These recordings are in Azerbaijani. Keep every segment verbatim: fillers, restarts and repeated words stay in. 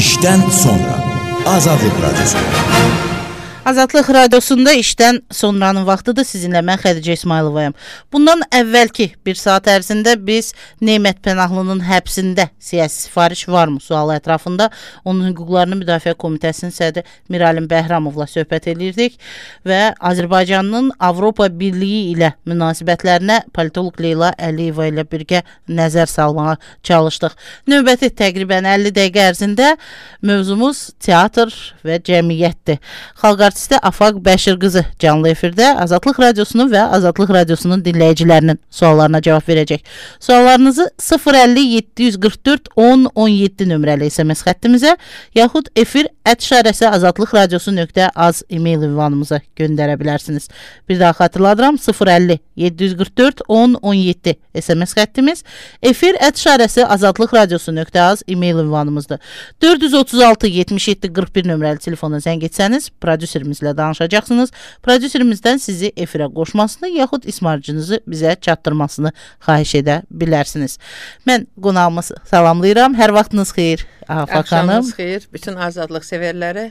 İşdən sonra Azadlıq Radyosu. Azadlıq Radiosunda işdən sonranın vaxtıdır. Sizinlə mən Xədicə İsmayılovayam. Bundan əvvəlki bir saat ərzində biz Nemət Pənahlının həbsində siyasi sifariş varmı sualı ətrafında onun hüquqlarını müdafiə komitəsinin sədri Miralin Bəhramovla söhbət edirdik və Azərbaycanın Avropa Birliyi ilə münasibətlərinə politolog Leyla Əliyeva ilə birgə nəzər salmağa çalışdıq. Növbəti təqribən əlli dəqiqə ərzində mövzumuz teatr və cəmiyyətdir. Xalq artisti Afaq Bəşir qızı canlı efirdə Azadlıq Radiosunun və Azadlıq Radiosunun dinləyicilərinin suallarına cavab verəcək. Suallarınızı sıfır əlli yeddi yüz qırx dörd on on yeddi nömrəli S M S xəttimizə yaxud efir ət işarəsi azadlıq radiosu nöqtə az e-mail ünvanımıza göndərə bilərsiniz. Bir daha xatırladıram, sıfır əlli yeddi yüz qırx dörd on on yeddi S M S xəttimiz, efir ət işarəsi azadlıq radiosu nöqtə az e-mail ünvanımızdır. dörd yüz otuz altı yetmiş yeddi qırx bir nömrəli telefona zəng etsəniz, prodüserimizlə danışacaqsınız. Prodüserimizdən sizi efirə qoşmasını yaxud ismarcınızı bizə çatdırmasını xahiş edə bilərsiniz. Mən qonağımı salamlayıram. Hər vaxtınız xeyir Afaq xanım. Axşamınız xeyir. Bütün azadlıq sevərləri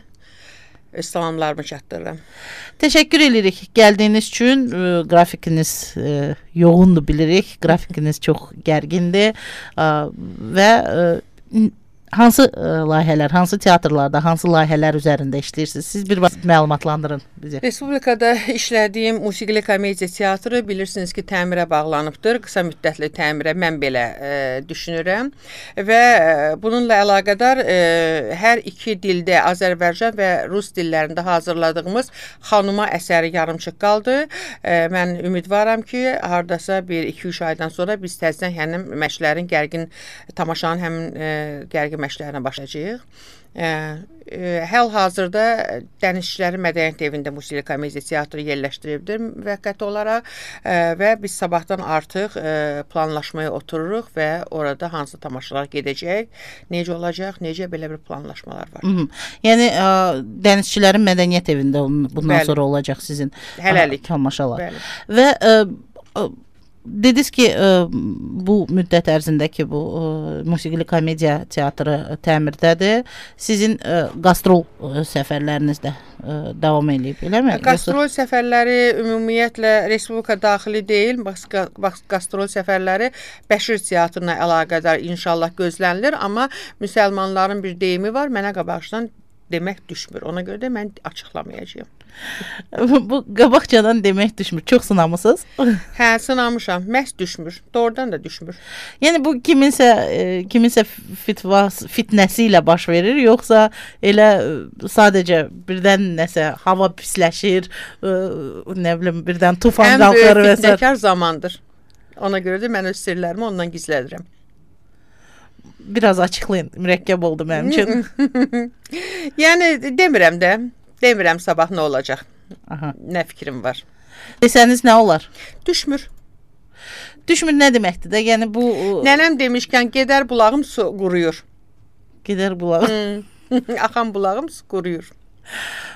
öz salamlarımı çatdırıram. Təşəkkür edirik gəldiyiniz üçün. E, qrafikiniz e, yoğundur bilirik. Qrafikiniz çox gərgindir e, və e, hansı ə, layihələr, hansı teatrlarda, hansı layihələr üzərində işləyirsiniz? Siz bir məlumatlandırın bizi. Respublikada işlədiyim musiqili komediya teatrı bilirsiniz ki, təmirə bağlanıbdır. Qısa müddətli təmirə mən belə ə, düşünürəm və ə, bununla əlaqədar ə, hər iki dildə, Azərbaycan və Rus dillərində hazırladığımız Xanuma əsəri yarımçıq qaldı. Ə, mən ümidvaram ki, hardasa bir iki üç aydan sonra biz təzədən həmin məşqlərin gərgin tamaşanın həmin ə, gərgin məşqlərinə başlayacağıq. Həl-hazırda Dənizçilərin Mədəniyyət Evində musiqili komediya teatrı yerləşdiribdir müvəqqəti olaraq və biz sabahdan artıq planlaşmaya otururuq və orada hansı tamaşalar gedəcək, necə olacaq, necə belə bir planlaşmalar var. Hı-hı. Yəni ə, Dənizçilərin Mədəniyyət Evində bundan Bəli. Sonra olacaq sizin Hələlik. Ə, tamaşalar. Bəli. Və ə, ə, dediniz ki, ə, bu müddət ərzindəki bu ə, musiqili komediya teatrı təmirdədir. Sizin ə, qastrol ə, səfərləriniz də ə, davam edib, eləmi? Qastrol Yoxsa... səfərləri ümumiyyətlə Respublika daxili deyil, bax qastrol səfərləri Bəşir teatrına əlaqədar inşallah gözlənilir, amma müsəlmanların bir deyimi var, mənə qabaqcadan demək düşmür. Ona görə də mən açıqlamayacağım. Bu qabaqcadan demək düşmür. Çox sınamısınız? Hə, sınamışam. Məhz düşmür. Doğrudan da düşmür. Yəni bu kiminsə e, kiminsə fitvas, fitnəsi ilə baş verir, yoxsa elə sadəcə birdən nəsə hava pisləşir, e, nə bilim birdən tufan qalxır və s. Ən böyük fitnəkar zamandır. Ona görə də mən öz sirlərimi ondan gizlədirəm. Biraz açıqlayın. Mürəkkəb oldu mənim üçün. Yəni demirəm də. Demirəm sabah nə olacaq. Aha. Nə fikrim var. Desəniz nə olar? Düşmür. Düşmür nə deməkdir də? Yəni bu Nənəm demişkən gedər bulağım su quruyur. Gedər bulağım. Hmm. Axan bulağım su quruyur.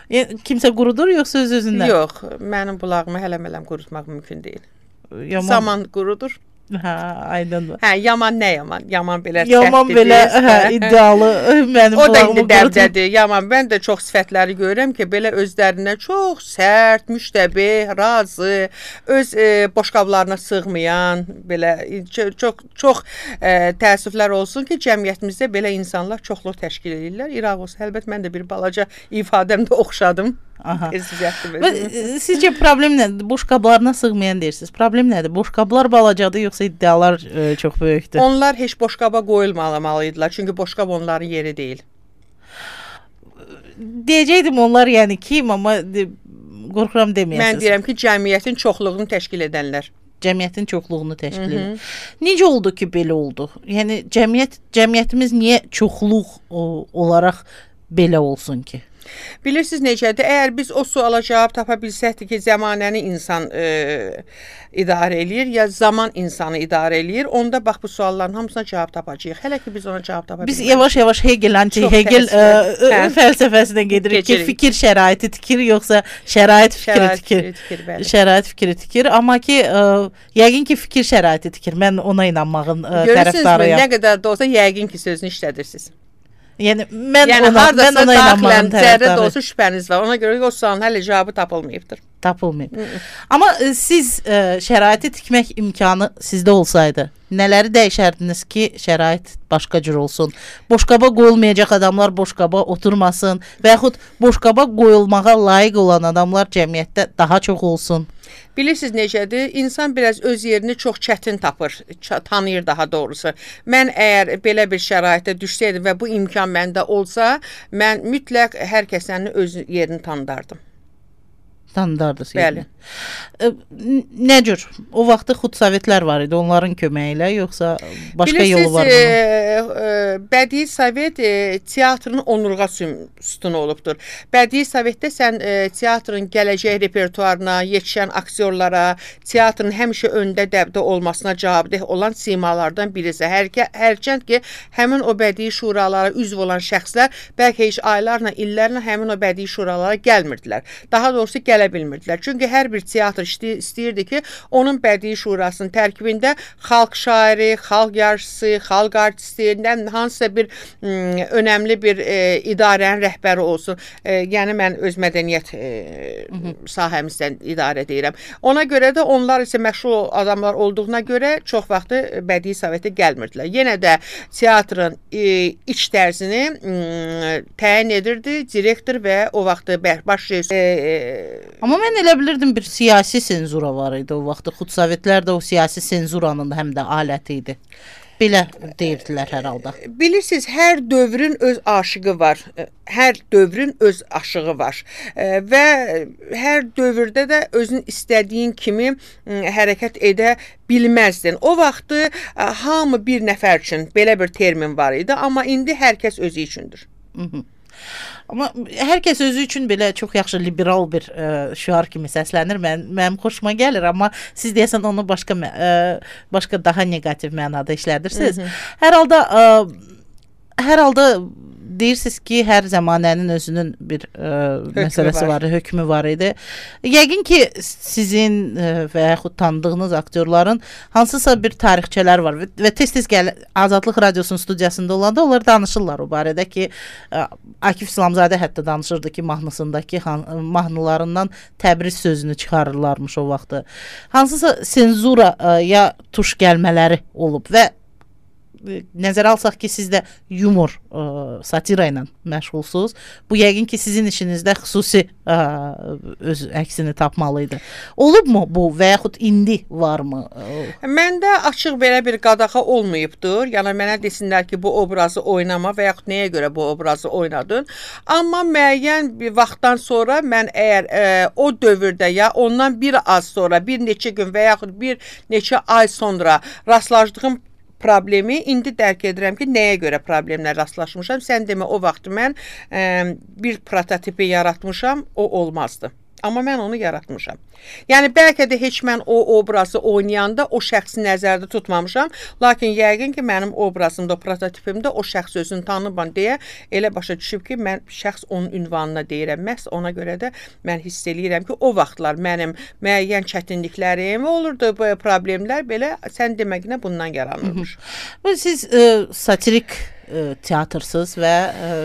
Yəni kimsə qurudur yoxsa öz özündən? Yox, mənim bulağımı hələm-hələm qurutmaq mümkün deyil. Yaman... Zaman qurudur. Hə, aydındır. Hə, yaman nə yaman? Yaman belə yaman belə hə, iddialı mənim o bulağımı da indi dəbdədir. Yaman mən də çox sifətləri görürəm ki, belə özlərinə çox sərt, müştəbih, razı, öz e, boşqablarına sığmayan, belə çox çox e, təəssüflər olsun ki, cəmiyyətimizdə belə insanlar çoxluq təşkil edirlər. İraq olsun. Əlbəttə mən də bir balaca ifadəmdə oxşadım. Aha. Sizcə problem nədir? Boşqablarına sığmayan deyirsiniz. Problem nədir? Boşqablar balacadır yoxsa iddialar e, çox böyükdür? Onlar heç boşqaba qoyulmamalıydılar. Çünki boşqab onların yeri deyil. Deyəcəkdim onlar yəni kim, amma de, qorxuram deməyəsiniz. Mən deyirəm ki, cəmiyyətin çoxluğunu təşkil edənlər. Cəmiyyətin çoxluğunu təşkil edir. Necə oldu ki, belə oldu? Yəni cəmiyyət cəmiyyətimiz niyə çoxluq o, olaraq belə olsun ki? Bilirsiniz necədir? Əgər biz o suala cavab tapa bilsəkdik ki, zəmanəni insan e, idarə eləyir, ya zaman insanı idarə eləyir, onda bax bu sualların hamısına cavab tapacağıq. Hələ ki biz ona cavab tapa bilmirik. Biz yavaş-yavaş Hegel, anti-Hegel e, fəlsəfəsinə gedirik ki, fikir şəraiti tikir, yoxsa şərait fikri şərait tikir. Fikri tikir bəli. Şərait fikri tikir, amma ki, e, yəqin ki, fikir şəraiti tikir. Mən ona inanmağın e, tərəfdarıyam. Görürsünüzmü, nə qədər də olsa yəqin ki, sözünü işlədirsiniz. Yəni mən yəni, ona mən ona inanmağım zərrə də olsa şübhəniz var. Ona görə ki, o sualın hələ cavabı tapılmayıbdır. Tapılmayıb. Amma e, siz e, şəraiti tikmək imkanı sizdə olsaydı, nələri dəyişərdiniz ki, şərait başqa cür olsun? Boşqaba qoyulmayacaq adamlar boşqaba oturmasın və yaxud boşqaba qoyulmağa layiq olan adamlar cəmiyyətdə daha çox olsun. Bilirsiniz necədir? İnsan biraz öz yerini çox çətin tapır, tanıyır daha doğrusu. Mən əgər belə bir şəraitə düşsəydim və bu imkan məndə olsa, mən mütləq hər kəsənin öz yerini tanıdardım. Tanıdardınız. Bəli. E, nə cür? O vaxtı xudsovetlər var idi, onların köməyi ilə, yoxsa başqa bilirsiniz, yolu var bunun? E, Bədii Sovet e, teatrın onurğa sütunu olubdur. Bədii Sovetdə sən e, teatrın gələcək repertuarına, yetişən aktyorlara, teatrın həmişə öndə dəbdə olmasına cavabdeh olan simalardan birisi. Hər, hərçənd ki, həmin o bədii şuralara üzv olan şəxslər bəlkə heç aylarla, illərlə həmin o bədii şuralara gəlmirdilər. Daha doğrusu gələ bilmirdilər. Çünki hər bir teatr istəyirdi ki, onun bədii şurasının tərkibində xalq şairi, xalq yarışçısı, xalq artisti, hansısa bir m, önəmli bir e, idarənin rəhbəri olsun. E, yəni mən öz mədəniyyət e, sahəmizdən idarə edirəm. Ona görə də onlar isə məşğul adamlar olduğuna görə çox vaxtı bədii sovetə gəlmirdilər. Yenə də teatrın e, iç dərzini m, təyin edirdi direktor və o vaxtı baş rejissor. E, Amma mən elə bilirdim bir siyasi senzura var idi o vaxtı. Xudsovetlər də o siyasi senzuranın həm də aləti idi. Belə deyirdilər hər halda. Bilirsiniz, hər dövrün öz aşığı var. Hər dövrün öz aşığı var. Və hər dövrdə də özün istədiyin kimi hərəkət edə bilməzdin. O vaxtı hamı bir nəfər üçün belə bir termin var idi, amma indi hər kəs özü üçündür. Hı -hı. Amma hər kəs özü üçün belə çox yaxşı liberal bir ə, şüar kimi səslənir. Mən mənim xoşuma gəlir, amma siz deyəsən onu başqa ə, başqa daha neqativ mənada işlədirsiniz. Hı -hı. Hər halda ə, hər halda deyirsiniz ki, hər zəmanənin özünün bir ə, məsələsi var. var, hökmü var idi. Yəqin ki, sizin ə, və yaxud tanıdığınız aktyorların hansısa bir tarixçələr var və tez-tez gəl Azadlıq Radiosunun studiyasında olanda onlar danışırlar o barədə ki, ə, Akif İslamzadə hətta danışırdı ki, mahnısındakı mahnılarından Təbriz sözünü çıxarırlarmış o vaxtı. Hansısa senzura ə, ya tuş gəlmələri olub və nəzərə alsaq ki, siz də yumor, ə, satira ilə məşğulsunuz. Bu yəqin ki, sizin işinizdə xüsusi ə, öz əksini tapmalıydı. Olubmu bu və yaxud indi varmı? Məndə açıq belə bir qadağa olmayıbdır. Yəni mənə desinlər ki, bu obrazı oynama və yaxud nəyə görə bu obrazı oynadın. Amma müəyyən bir vaxtdan sonra mən əgər ə, o dövrdə ya ondan bir az sonra, bir neçə gün və yaxud bir neçə ay sonra rastlaşdığım problemi indi dərk edirəm ki, nəyə görə problemlə rastlaşmışam. Sən demə, o vaxt mən ə, bir prototipi yaratmışam, o olmazdı. Amma mən onu yaratmışam. Yəni, bəlkə də heç mən o obrazı oynayanda o şəxsi nəzərdə tutmamışam. Lakin yəqin ki, mənim obrazımda, prototipimdə o şəxs özünü tanımam deyə elə başa düşüb ki, mən şəxs onun ünvanına deyirəm. Məhz ona görə də mən hiss eləyirəm ki, o vaxtlar mənim müəyyən çətinliklərim olurdu, bu problemlər belə sən deməklə bundan yaranırmış. Hı -hı. Siz ə, satirik ə, teatrsız və ə,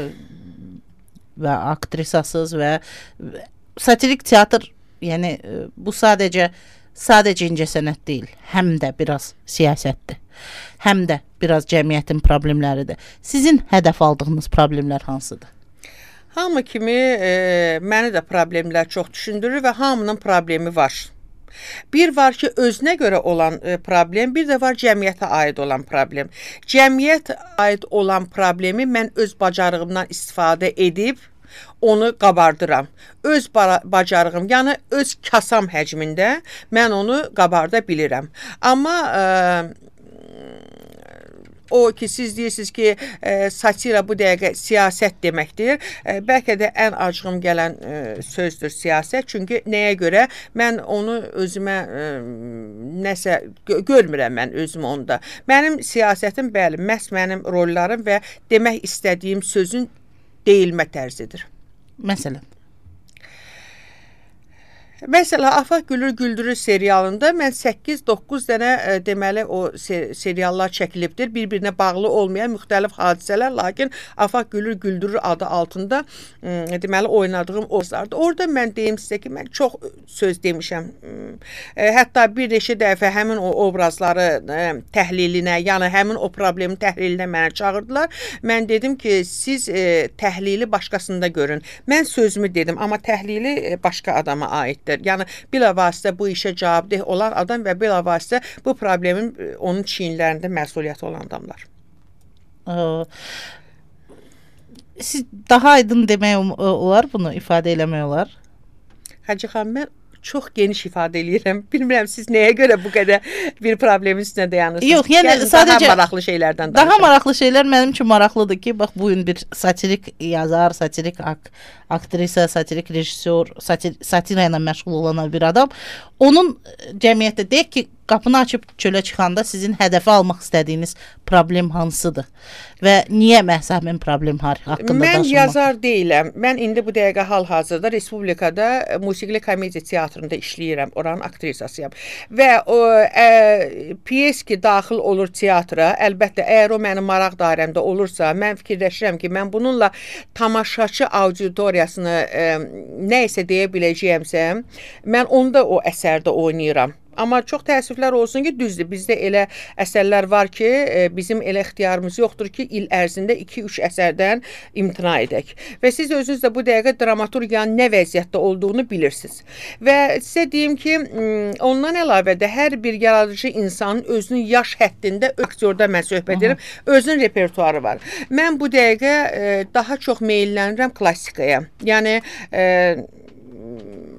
və aktrisasız və satirik teatr, yəni bu sadəcə sadəcə incəsənət deyil, həm də biraz siyasətdir. Həm də biraz cəmiyyətin problemləridir. Sizin hədəf aldığınız problemlər hansıdır? Hamı kimi e, məni də problemlər çox düşündürür və hamının problemi var. Bir var ki, özünə görə olan e, problem, bir də var cəmiyyətə aid olan problem. Cəmiyyət aid olan problemi mən öz bacarığımdan istifadə edib onu qabardıram. Öz bacarığım, yəni öz kasam həcmində mən onu qabarda bilirəm. Amma ə, o ki, siz deyirsiniz ki, ə, satira bu dəqiqə siyasət deməkdir. Ə, bəlkə də ən acığım gələn ə, sözdür siyasət. Çünki nəyə görə mən onu özümə ə, nəsə gö görmürəm mən özümü onda. Mənim siyasətim, bəli, məhz mənim rollarım və demək istədiyim sözün deyilmə tərzidir. Məsələn? Məsələn, Afaq Gülür Güldürür serialında mən səkkiz doqquz dənə e, deməli o ser seriallar çəkilibdir. Bir-birinə bağlı olmayan müxtəlif hadisələr, lakin Afaq Gülür Güldürür adı altında e, deməli oynadığım obrazlardır. Orada mən deyim sizə ki, mən çox söz demişəm. E, hətta bir neçə dəfə həmin o obrazları e, təhlilinə, yəni həmin o problemin təhlilinə mənə çağırdılar. Mən dedim ki, siz e, təhlili başqasında görün. Mən sözümü dedim, amma təhlili e, başqa adama aiddir. Yəni bilavasitə bu işə cavabdeh olan adam və bilavasitə bu problemin onun çiyinlərində məsuliyyəti olan adamlar. Siz daha aydın demək olar, bunu ifadə eləmək olar? Hacı xanım, mən çox geniş ifadə eləyirəm. Bilmirəm siz nəyə görə bu qədər bir problemin üstünə dayanırsınız. Yox, yəni Gəlin, sadəcə daha maraqlı şeylərdən danışaq. Daha maraqlı şeylər mənim üçün maraqlıdır ki, bax bu gün bir satirik yazar, satirik ak aktrisa, satirik rejissor, satir satira ilə məşğul olan bir adam, onun cəmiyyətdə deyək ki, qapını açıb çölə çıxanda sizin hədəfə almaq istədiyiniz problem hansıdır və niyə məhz həmin problem haqqında mən danışmaq? yazar deyiləm. Mən indi bu dəqiqə hal-hazırda Respublikada musiqili komediya teatrında işləyirəm. Oranın aktrisasıyam. Və o ə, piyes ki daxil olur teatra, əlbəttə əgər o mənim maraq dairəmdə olursa, mən fikirləşirəm ki, mən bununla tamaşaçı auditoriyasını ə, nə isə deyə biləcəyəmsə, mən onda o əsərdə oynayıram. Amma çox təəssüflər olsun ki, düzdür. Bizdə elə əsərlər var ki, bizim elə ixtiyarımız yoxdur ki, il ərzində iki üç əsərdən imtina edək. Və siz özünüz də bu dəqiqə dramaturgiyanın nə vəziyyətdə olduğunu bilirsiniz. Və sizə deyim ki, ondan əlavə də hər bir yaradıcı insanın özünün yaş həddində, aktyorda mən söhbət edirəm, özünün repertuarı var. Mən bu dəqiqə daha çox meyllənirəm klassikaya. Yəni,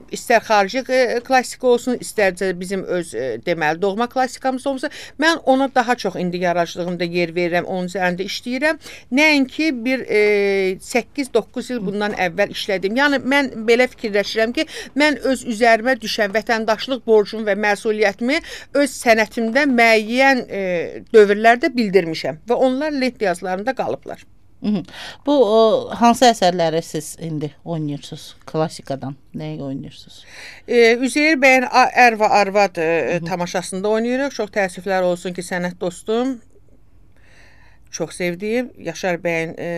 istər xarici klassika olsun, istərcə bizim öz deməli doğma klassikamız olsa, mən ona daha çox indi yaradıcılığımda yer verirəm, onun üzərində işləyirəm. Nəinki bir e, səkkiz doqquz il bundan əvvəl işlədim. Yəni mən belə fikirləşirəm ki, mən öz üzərimə düşən vətəndaşlıq borcumu və məsuliyyətimi öz sənətimdə müəyyən e, dövrlərdə bildirmişəm və onlar lent yazılarında qalıblar. Bu o, hansı əsərləri siz indi oynayırsınız? Klassikadan nəyi oynayırsınız? E, Üzeyir bəyin Ər və Arvad e, tamaşasında oynayırıq. Çox təəssüflər olsun ki, sənət dostum, çox sevdiyim Yaşar bəyin e,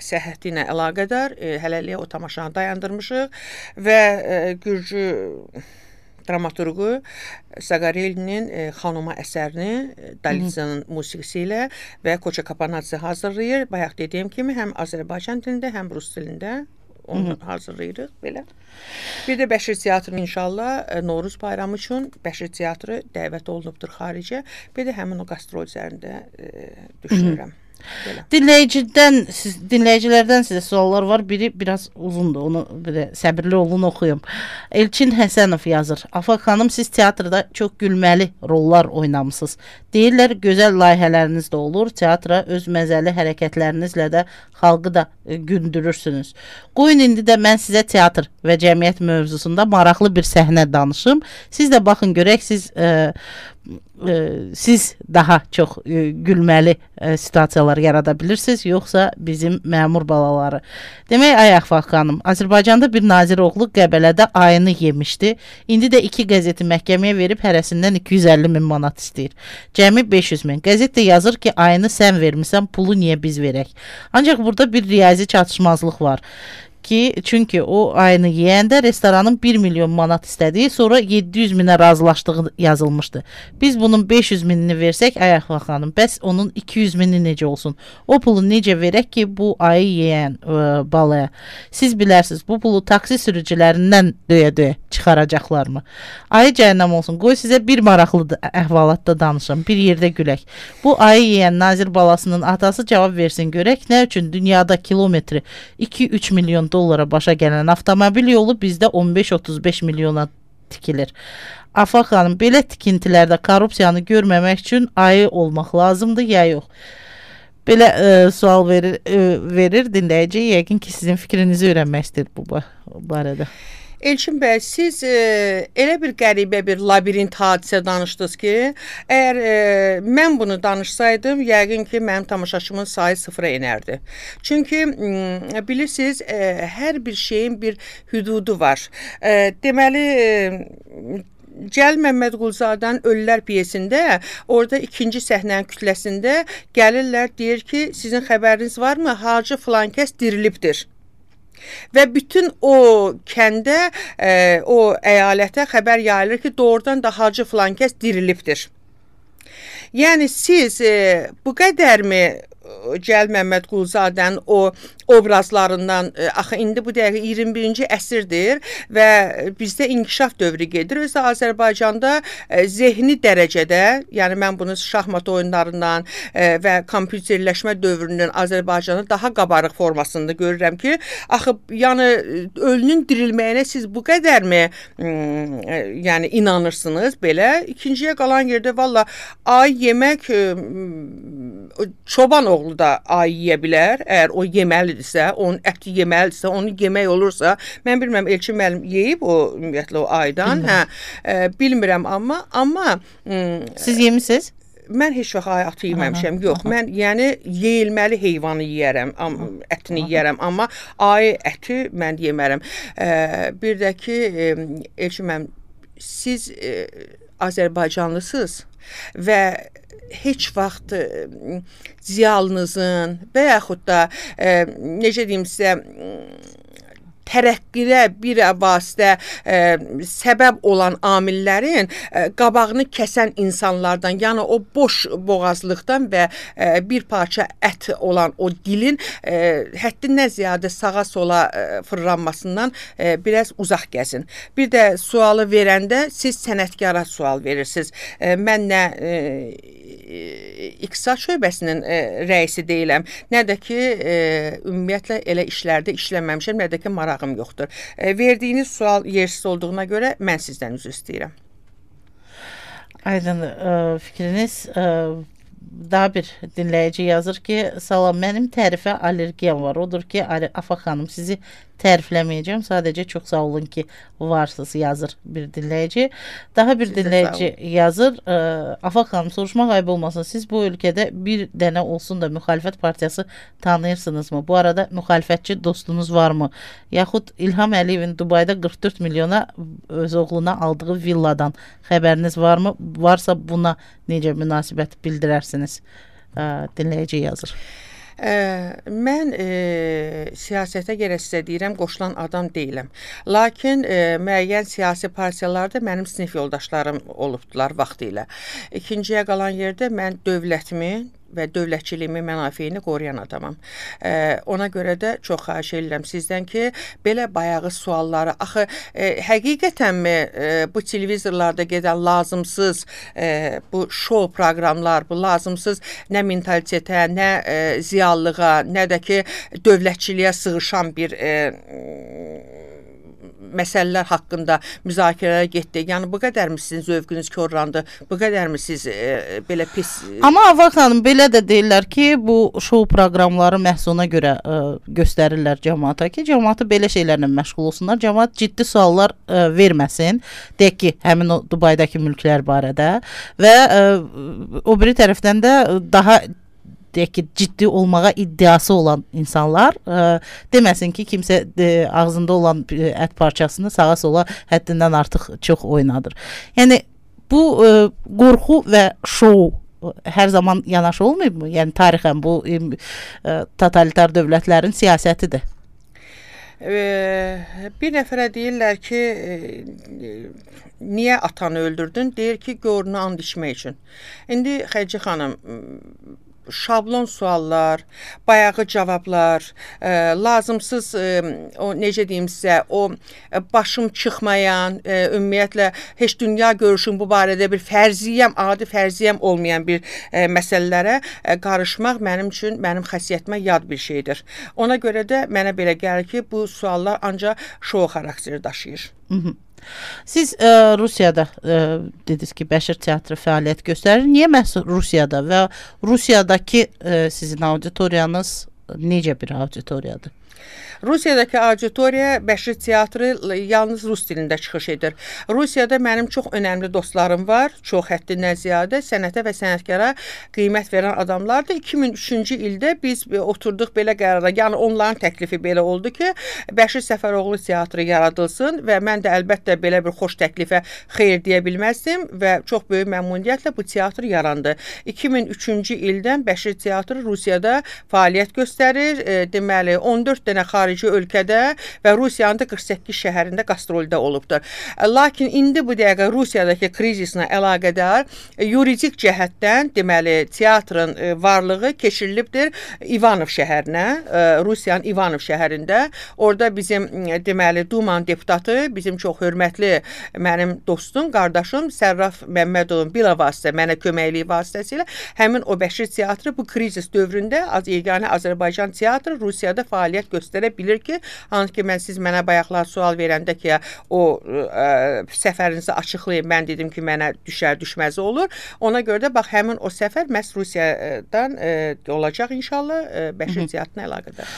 səhhəti ilə əlaqədar e, hələlik o tamaşanı dayandırmışıq və e, Gürcü dramaturqu Saqarelinin e, Xanuma əsərini e, Dalitza'nın musiqisi ilə və Koça Kapanadze hazırlayır. Bayaq dediyim kimi həm Azərbaycan dilində, həm Rus dilində onu Hı -hı. hazırlayırıq belə. Bir də Bəşir Teatrı inşallah e, Novruz bayramı üçün Bəşir Teatrı dəvət olunubdur xaricə. Bir də həmin o qastrol üzərində e, düşünürəm. Hı -hı. Belə. Dinləyicidən, siz, dinləyicilərdən sizə suallar var. Biri biraz uzundur. Onu belə səbirli olun oxuyum. Elçin Həsənov yazır. Afaq xanım, siz teatrda çox gülməli rollar oynamısınız. Deyirlər, gözəl layihələriniz də olur. Teatra öz məzəli hərəkətlərinizlə də xalqı da e, gündürürsünüz. Qoyun indi də mən sizə teatr və cəmiyyət mövzusunda maraqlı bir səhnə danışım. Siz də baxın görək, siz e, e, siz daha çox e, gülməli e, situasiyalar yarada bilirsiniz, yoxsa bizim məmur balaları. Demək, ay Afaq xanım, Azərbaycanda bir nazir oğlu Qəbələdə ayını yemişdi. İndi də iki qəzeti məhkəməyə verib hərəsindən iki yüz əlli min manat istəyir. Cəmi beş yüz min. Qəzet də yazır ki, ayını sən vermisən, pulu niyə biz verək? Ancaq burada bir riyazi çatışmazlıq var. Ki, çünki o ayını yeyəndə restoranın bir milyon manat istədiyi, sonra yeddi yüz minə razılaşdığı yazılmışdı. Biz bunun beş yüz minini versək, ay Afaq xanım, bəs onun iki yüz mini necə olsun? O pulu necə verək ki, bu ayı yeyən ə, balaya? Siz bilərsiniz, bu pulu taksi sürücülərindən döyə-döyə çıxaracaqlar mı? Ayı cəhənnəm olsun, qoy sizə bir maraqlı əhvalatda danışım, bir yerdə gülək. Bu ayı yeyən nazir balasının atası cavab versin görək, nə üçün dünyada kilometri iki üç milyon dollara başa gələn avtomobil yolu bizdə on beş otuz beş milyona tikilir. Afaq xanım, belə tikintilərdə korrupsiyanı görməmək üçün ayı olmaq lazımdır ya yox? Belə e, sual verir, e, verir dinləyici. Yəqin ki, sizin fikrinizi öyrənmək istəyir bu barədə. Elçin bəy, siz e, elə bir qəribə bir labirint hadisə danışdınız ki, əgər e, mən bunu danışsaydım, yəqin ki, mənim tamaşaçımın sayı sıfıra enərdi. Çünki m, bilirsiniz, e, hər bir şeyin bir hüdudu var. E, deməli, e, Cəlil Məmmədquluzadənin Ölülər pyesində, orada ikinci səhnənin kütləsində gəlirlər, deyir ki, sizin xəbəriniz varmı? Hacı filan kəs dirilibdir. Və bütün o kəndə, e, o əyalətə xəbər yayılır ki, doğrudan da Hacı filan kəs dirilibdir. Yəni siz e, bu qədərmi Cəlil Məmmədquluzadənin o obrazlarından, e, axı indi bu dəqiqə iyirmi birinci əsrdir və bizdə inkişaf dövrü gedir. Özdə Azərbaycanda e, zehni dərəcədə, yəni mən bunu şahmat oyunlarından e, və kompüterləşmə dövrünün Azərbaycanda daha qabarıq formasında görürəm ki, axı yəni ölünün dirilməyinə siz bu qədərmi e, yəni inanırsınız belə. İkinciyə qalan yerdə valla ay yemək e, çoban oğlu da ay yeyə bilər, əgər o yeməlidirsə, onun əti yeməlidirsə, onu yemək olursa, mən bilmirəm, Elçin müəllim yeyib o ümumiyyətlə o aydan, hə, e, bilmirəm, amma, amma siz yemisiniz? Mən heç vaxt ay atı yeməmişəm, yox, aha. Mən yəni yeyilməli heyvanı yeyərəm, am, ətini aha. yeyərəm, amma ay əti mən yemərəm. E, bir də ki, e, Elçin müəllim, siz e, Azərbaycanlısınız və heç vaxt e, ziyalınızın və yaxud da e, necə deyim sizə tərəqqidə bir vasitə e, səbəb olan amillərin e, qabağını kəsən insanlardan, yəni o boş boğazlıqdan və e, bir parça ət olan o dilin e, həddindən ziyadə sağa sola e, fırlanmasından e, biraz uzaq gəzin. Bir də sualı verəndə siz sənətkara sual verirsiniz. E, mən nə e, İqtisad şöbəsinin e, rəisi deyiləm, nə də ki e, ümumiyyətlə elə işlərdə işləməmişəm, nə də ki marağım yoxdur. E, verdiyiniz sual yersiz olduğuna görə mən sizdən üzr istəyirəm. Aydın e, fikriniz. E, daha bir dinləyici yazır ki, salam, mənim tərifə allergiyam var. Odur ki, Afaq xanım, sizi tərifləməyəcəm. Sadəcə çox sağ olun ki, varsınız, yazır bir dinləyici. Daha bir Sizə dinləyici yazır. E, Afaq xanım, soruşmaq ayıb olmasın. Siz bu ölkədə bir dənə olsun da müxalifət partiyası tanıyırsınızmı? Bu arada müxalifətçi dostunuz varmı? Yaxud İlham Əliyevin Dubayda qırx dörd milyona öz oğluna aldığı villadan xəbəriniz varmı? Varsa buna necə münasibət bildirərsiniz? E, dinləyici yazır. Ə, mən e, siyasətə gərək sizə deyirəm, qoşulan adam deyiləm. Lakin e, müəyyən siyasi partiyalarda mənim sinif yoldaşlarım olubdular vaxtı ilə. İkinciyə qalan yerdə mən dövlətimi və dövlətçiliyimi, mənafeyini qoruyan adamam. E, ona görə də çox xahiş edirəm sizdən ki, belə bayağı sualları, axı e, həqiqətənmi e, bu televizorlarda gedən lazımsız e, bu şou proqramlar, bu lazımsız nə mentalitetə, nə e, ziyallığa, nə də ki dövlətçiliyə sığışan bir e, məsələlər haqqında müzakirələrə getdi. Yəni bu qədərmi sizin zövqünüz korlandı? Bu qədərmi siz e, belə pis... Amma Afaq xanım, belə də deyirlər ki, bu şou proqramları məhz ona görə e, göstərirlər cəmaata ki, cəmaatı belə şeylərlə məşğul olsunlar. Cəmaat ciddi suallar e, verməsin. Deyək ki, həmin o Dubaydakı mülklər barədə və e, o biri tərəfdən də daha deyək ki, ciddi olmağa iddiası olan insanlar e, deməsin ki, kimsə e, ağzında olan e, ət parçasını sağa sola həddindən artıq çox oynadır. Yəni, bu e, qorxu və şou hər zaman yanaşı olmayıb mı? Yəni, tarixən bu e, totalitar dövlətlərin siyasətidir. E, bir nəfərə deyirlər ki, e, niyə atanı öldürdün? Deyir ki, gorunu and içmək üçün. İndi Xədicə xanım, şablon suallar, bayağı cavablar, e, lazımsız e, o necə deyim sizə, o e, başım çıxmayan, e, ümumiyyətlə heç dünya görüşüm bu barədə bir fərziyyəm, adi fərziyyəm olmayan bir e, məsələlərə e, qarışmaq mənim üçün, mənim xəsiyyətimə yad bir şeydir. Ona görə də mənə belə gəlir ki, bu suallar ancaq şou xarakteri daşıyır. Hı -hı. Siz e, Rusiyada e, dediniz ki, Bəşir teatrı fəaliyyət göstərir. Niyə məhz Rusiyada və Rusiyadakı e, sizin auditoriyanız necə bir auditoriyadır? Rusiyadakı auditoriya Bəşir teatrı yalnız rus dilində çıxış edir. Rusiyada mənim çox önəmli dostlarım var, çox həddindən ziyadə sənətə və sənətkara qiymət verən adamlardır. iki min üçüncü ildə biz oturduq belə qərara, yəni onların təklifi belə oldu ki, Bəşir Səfəroğlu teatrı yaradılsın və mən də əlbəttə belə bir xoş təklifə xeyir deyə bilməzdim və çox böyük məmnuniyyətlə bu teatr yarandı. iki min üçüncü ildən Bəşir teatrı Rusiyada fəaliyyət göstərir. E, deməli, on dörd dənə xarici ölkədə və Rusiyanın da qırx səkkiz şəhərində qastrolda olubdur. Lakin indi bu dəqiqə Rusiyadakı krizislə əlaqədar yuridik cəhətdən, deməli, teatrın varlığı keçirilibdir İvanov şəhərinə, Rusiyanın İvanov şəhərində. Orada bizim, deməli, Dumanın deputatı, bizim çox hörmətli mənim dostum, qardaşım Sərraf Məmmədovun bila vasitə, mənə köməkliyi vasitəsilə həmin o Bəşir teatrı bu krizis dövründə yeganə Azərbaycan teatrı Rusiyada fəaliyyət göstərə bilir ki, hansı ki, mən siz mənə bayaqlar sual verəndə ki, o ə, səfərinizi açıqlayın, mən dedim ki, mənə düşər düşməzi olur. Ona görə də bax, həmin o səfər məhz Rusiyadan ə, olacaq inşallah ə, Bəşir teatrına əlaqədar.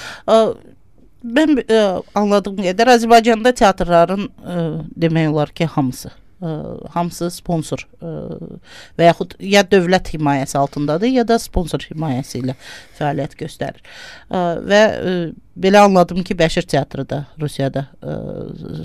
Mən ə, anladığım qədər Azərbaycanda teatrların ə, demək olar ki, hamısı. Ə, hamısı sponsor ə, və yaxud ya dövlət himayəsi altındadır, ya da sponsor himayəsi ilə fəaliyyət göstərir. Ə, və ə, belə anladım ki, Bəşir teatrı da Rusiyada ə,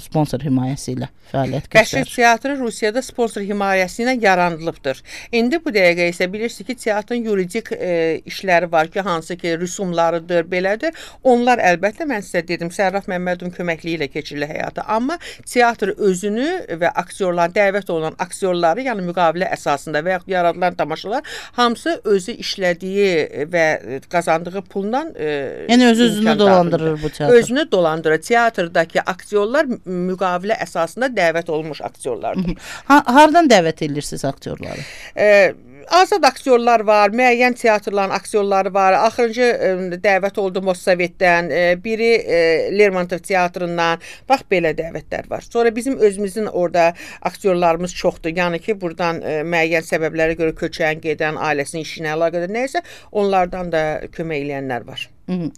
sponsor himayəsi ilə fəaliyyət göstərir. Bəşir teatrı Rusiyada sponsor himayəsi ilə yaranılıbdır. İndi bu dəqiqə isə bilirsiniz ki, teatrın yuridik e, işləri var ki, hansı ki, rüsumlarıdır, belədir. Onlar əlbəttə, mən sizə dedim, Sərraf Məmmədovun köməkliyi ilə keçirilir həyata. Amma teatr özünü və aktyorlar, dəvət olunan aktyorları, yəni müqavilə əsasında və yaxud yaradılan tamaşalar, hamısı özü işlədiyi və qazandığı pulla e, yəni öz özünü dolandırır bu teatr. Özünü dolandırır. Teatrdakı aktyorlar müqavilə əsasında dəvət olunmuş aktyorlardır. Ha, hardan dəvət edirsiniz aktyorları? Ee, azad aktyorlar var, müəyyən teatrların aktyorları var. Axırıncı e, dəvət oldu Mossavitdən, e, biri e, Lermontov teatrından. Bax, belə dəvətlər var. Sonra bizim özümüzün orada aktyorlarımız çoxdur. Yəni ki, buradan e, müəyyən səbəblərə görə köçən, gedən, ailəsinin işinə əlaqədar nəysə, onlardan da kömək eləyənlər var. Hı -hı.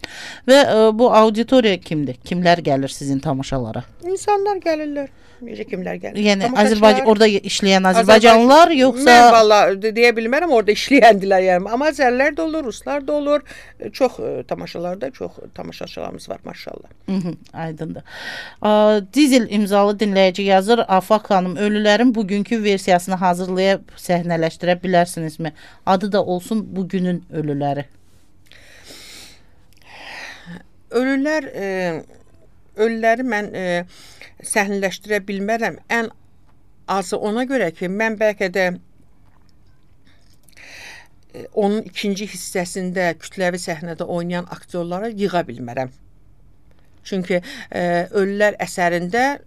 Və ə, bu auditoriya kimdir? Kimlər gəlir sizin tamaşalara? İnsanlar gəlirlər. Necə kimlər gəlir? Yəni Azərbaycan orada işləyən Azərbaycanlılar Azərbaycan... yoxsa Mən valla deyə bilmərəm, orada işləyəndilər yəni. Amma Azərlər də olur, Ruslar da olur. Çox ə, tamaşalarda çox tamaşaçılarımız var maşallah. Hı -hı, aydındır. Ə, Dizel imzalı dinləyici yazır: Afaq xanım, ölülərin bugünkü versiyasını hazırlayıb səhnələşdirə bilərsinizmi? Adı da olsun Bugünün ölüləri. Ölülər, e, ölüləri mən e, səhnələşdirə bilmərəm. Ən azı ona görə ki, mən bəlkə də e, onun ikinci hissəsində kütləvi səhnədə oynayan aktyorları yığa bilmərəm. Çünki e, ölülər əsərində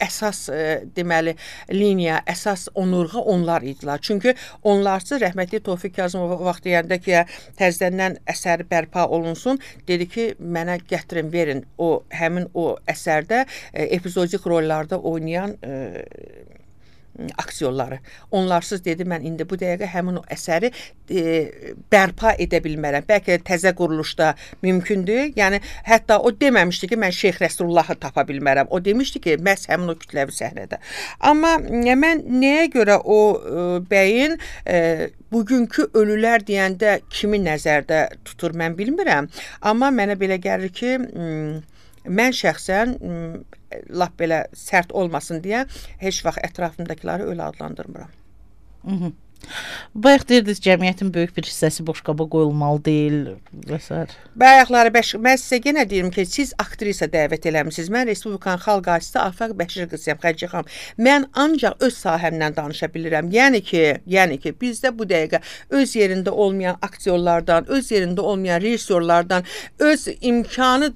əsas e, deməli liniya, əsas onurğa onlar idilər. Çünki onlarsız rəhmətli Tofiq Kazımov vaxt deyəndə ki, təzədən əsəri bərpa olunsun, dedi ki, mənə gətirin, verin o həmin o əsərdə e, epizodik rollarda oynayan e, aktyorları. Onlarsız dedi, mən indi bu dəqiqə həmin o əsəri e, bərpa edə bilmərəm. Bəlkə təzə quruluşda mümkündür. Yəni, hətta o deməmişdi ki, mən Şeyx Rəsulullahı tapa bilmərəm. O demişdi ki, məhz həmin o kütləvi səhnədə. Amma mən nəyə görə o e, bəyin e, bugünkü ölülər deyəndə kimi nəzərdə tutur, mən bilmirəm. Amma mənə belə gəlir ki, mən şəxsən lap belə sərt olmasın deyə heç vaxt ətrafımdakiləri ölü adlandırmıram. Hı -hı. Bayaq deyirdiniz, cəmiyyətin böyük bir hissəsi boşqaba qoyulmalı deyil və s. Bayaqları, mən sizə yenə deyirəm ki, siz aktrisa dəvət eləmişsiniz. Mən Respublikanın xalq artisti Afaq Bəşir qızıyam, Xədicə xanım. Mən ancaq öz sahəmdən danışa bilirəm. Yəni ki, yəni ki, bizdə bu dəqiqə öz yerində olmayan aktyorlardan, öz yerində olmayan rejissorlardan, öz imkanı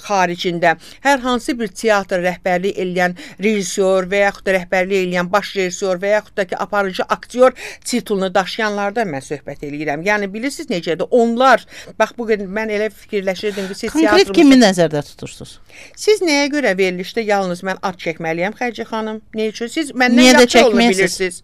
xaricində hər hansı bir teatr rəhbərliyi eləyən rejissor və yaxud da rəhbərliyi eləyən baş rejissor və yaxud da ki, aparıcı aktyor titulunu daşıyanlardan mən söhbət eləyirəm. Yəni, bilirsiniz necədir? Onlar, bax, bugün mən elə fikirləşirdim ki, siz konkret teatrımızı... kimi nəzərdə tutursunuz? Siz nəyə görə verilişdə yalnız mən ad çəkməliyəm, Xədicə xanım? Nə üçün? Siz məndən yaxşı olunu bilirsiniz.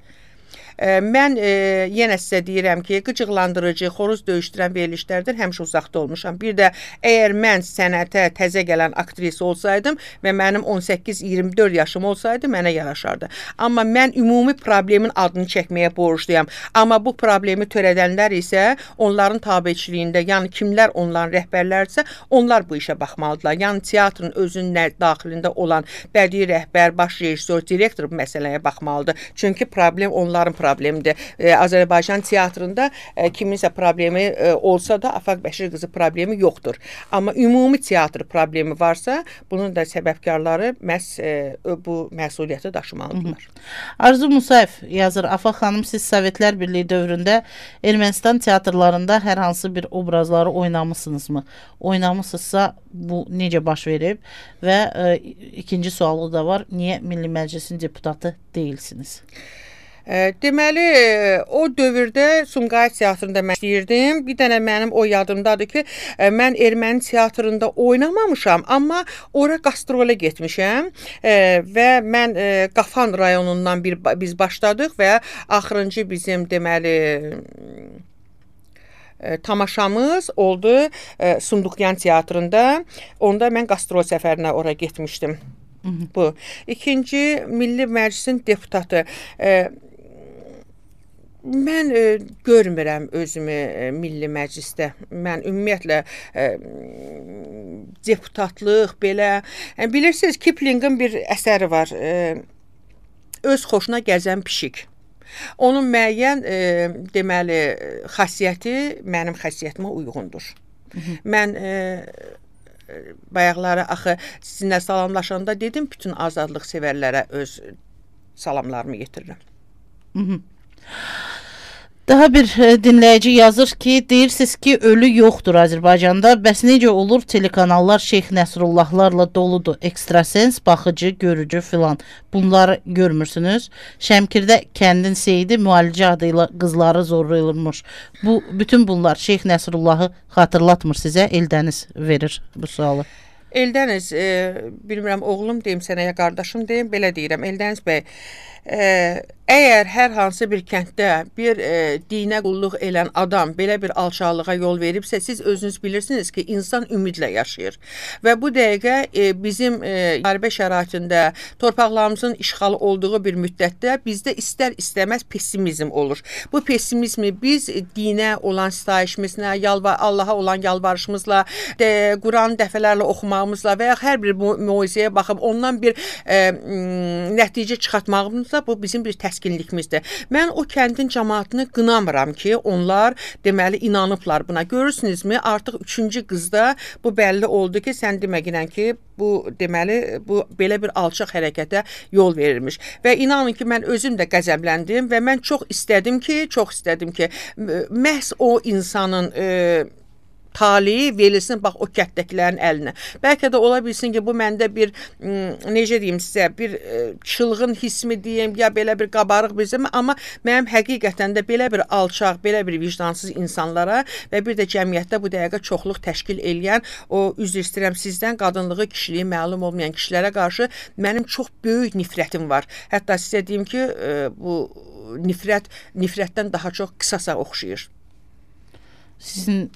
e, mən e, yenə sizə deyirəm ki, qıcıqlandırıcı, xoruz döyüşdürən verilişlərdən həmişə uzaqda olmuşam. Bir də əgər mən sənətə təzə gələn aktrisa olsaydım və mənim on səkkiz iyirmi dörd yaşım olsaydı, mənə yaraşardı. Amma mən ümumi problemin adını çəkməyə borcluyam. Amma bu problemi törədənlər isə onların tabeçiliyində, yəni kimlər onların rəhbərlərsə, onlar bu işə baxmalıdırlar. Yəni teatrın özünün daxilində olan bədii rəhbər, baş rejissor, direktor bu məsələyə baxmalıdır. Çünki problem onların problemidir. E, Azərbaycan teatrında e, kiminsə problemi e, olsa da Afaq Bəşir qızı problemi yoxdur. Amma ümumi teatr problemi varsa, bunun da səbəbkarları məhz e, bu məsuliyyəti daşımalıdırlar. Arzu Musayev yazır, Afaq xanım, siz Sovetlər Birliyi dövründə Ermənistan teatrlarında hər hansı bir obrazları oynamısınızmı? Oynamısınızsa bu necə baş verib? Və e, ikinci sualı da var, niyə Milli Məclisin deputatı deyilsiniz? E, deməli, o dövrdə Sumqayıt teatrında mən istəyirdim. Bir dənə mənim o yadımdadır ki, e, mən erməni teatrında oynamamışam, amma ora qastrole getmişəm e, və mən e, Qafan rayonundan bir biz başladıq və axırıncı bizim deməli E, tamaşamız oldu e, Sunduqyan teatrında. Onda mən qastrol səfərinə ora getmişdim. Hı -hı. Bu. İkinci, Milli Məclisin deputatı. E, mən e, görmürəm özümü e, Milli Məclisdə. Mən ümumiyyətlə e, deputatlıq belə. E, bilirsiniz, Kiplingin bir əsəri var. E, öz xoşuna gəzən pişik. Onun müəyyən e, deməli xasiyyəti mənim xasiyyətimə uyğundur. Hı -hı. Mən e, bayaqları axı sizinlə salamlaşanda dedim, bütün azadlıq sevərlərə öz salamlarımı yetirirəm. Hı -hı. Daha bir dinləyici yazır ki, deyirsiniz ki, ölü yoxdur Azərbaycanda. Bəs necə olur, telekanallar Şeyx Nəsrullahlarla doludur. Ekstrasens, baxıcı, görücü filan. Bunları görmürsünüz. Şəmkirdə kəndin seyidi müalicə adıyla qızları zorlayılmış. Bu, bütün bunlar Şeyx Nəsrullahı xatırlatmır sizə. Eldəniz verir bu sualı. Eldəniz, e, bilmirəm, oğlum deyim sənə, ya qardaşım deyim, belə deyirəm. Eldəniz bəy, e, əgər hər hansı bir kənddə bir e, dinə qulluq elən adam belə bir alçaqlığa yol veribsə, siz özünüz bilirsiniz ki, insan ümidlə yaşayır. Və bu dəqiqə e, bizim e, müharibə şəraitində torpaqlarımızın işğalı olduğu bir müddətdə bizdə istər istəməz pessimizm olur. Bu pessimizmi biz dinə olan sitayişimizlə, yalvar, Allaha olan yalvarışımızla, de, Quranı dəfələrlə oxumağımızla və ya hər bir muizəyə baxıb ondan bir e, nəticə çıxartmağımızla bu bizim bir təskinlikimizdir. Mən o kəndin cəmaatını qınamıram ki, onlar deməli inanıblar buna. Görürsünüzmü, artıq üçüncü qızda bu bəlli oldu ki, sən deməklə ki, bu deməli bu belə bir alçaq hərəkətə yol verilmiş. Və inanın ki, mən özüm də qəzəbləndim və mən çox istədim ki, çox istədim ki, məhz o insanın e, talihi verilsin bax o kətdəkilərin əlinə. Bəlkə də ola bilsin ki, bu məndə bir necə deyim sizə, bir çılğın hissmi deyim, ya belə bir qabarıq bizim, amma mənim həqiqətən də belə bir alçaq, belə bir vicdansız insanlara və bir də cəmiyyətdə bu dəqiqə çoxluq təşkil eləyən, o üzr istəyirəm sizdən, qadınlığı, kişiliyi məlum olmayan kişilərə qarşı mənim çox böyük nifrətim var. Hətta sizə deyim ki, bu nifrət nifrətdən daha çox qısasa oxşayır. Sizin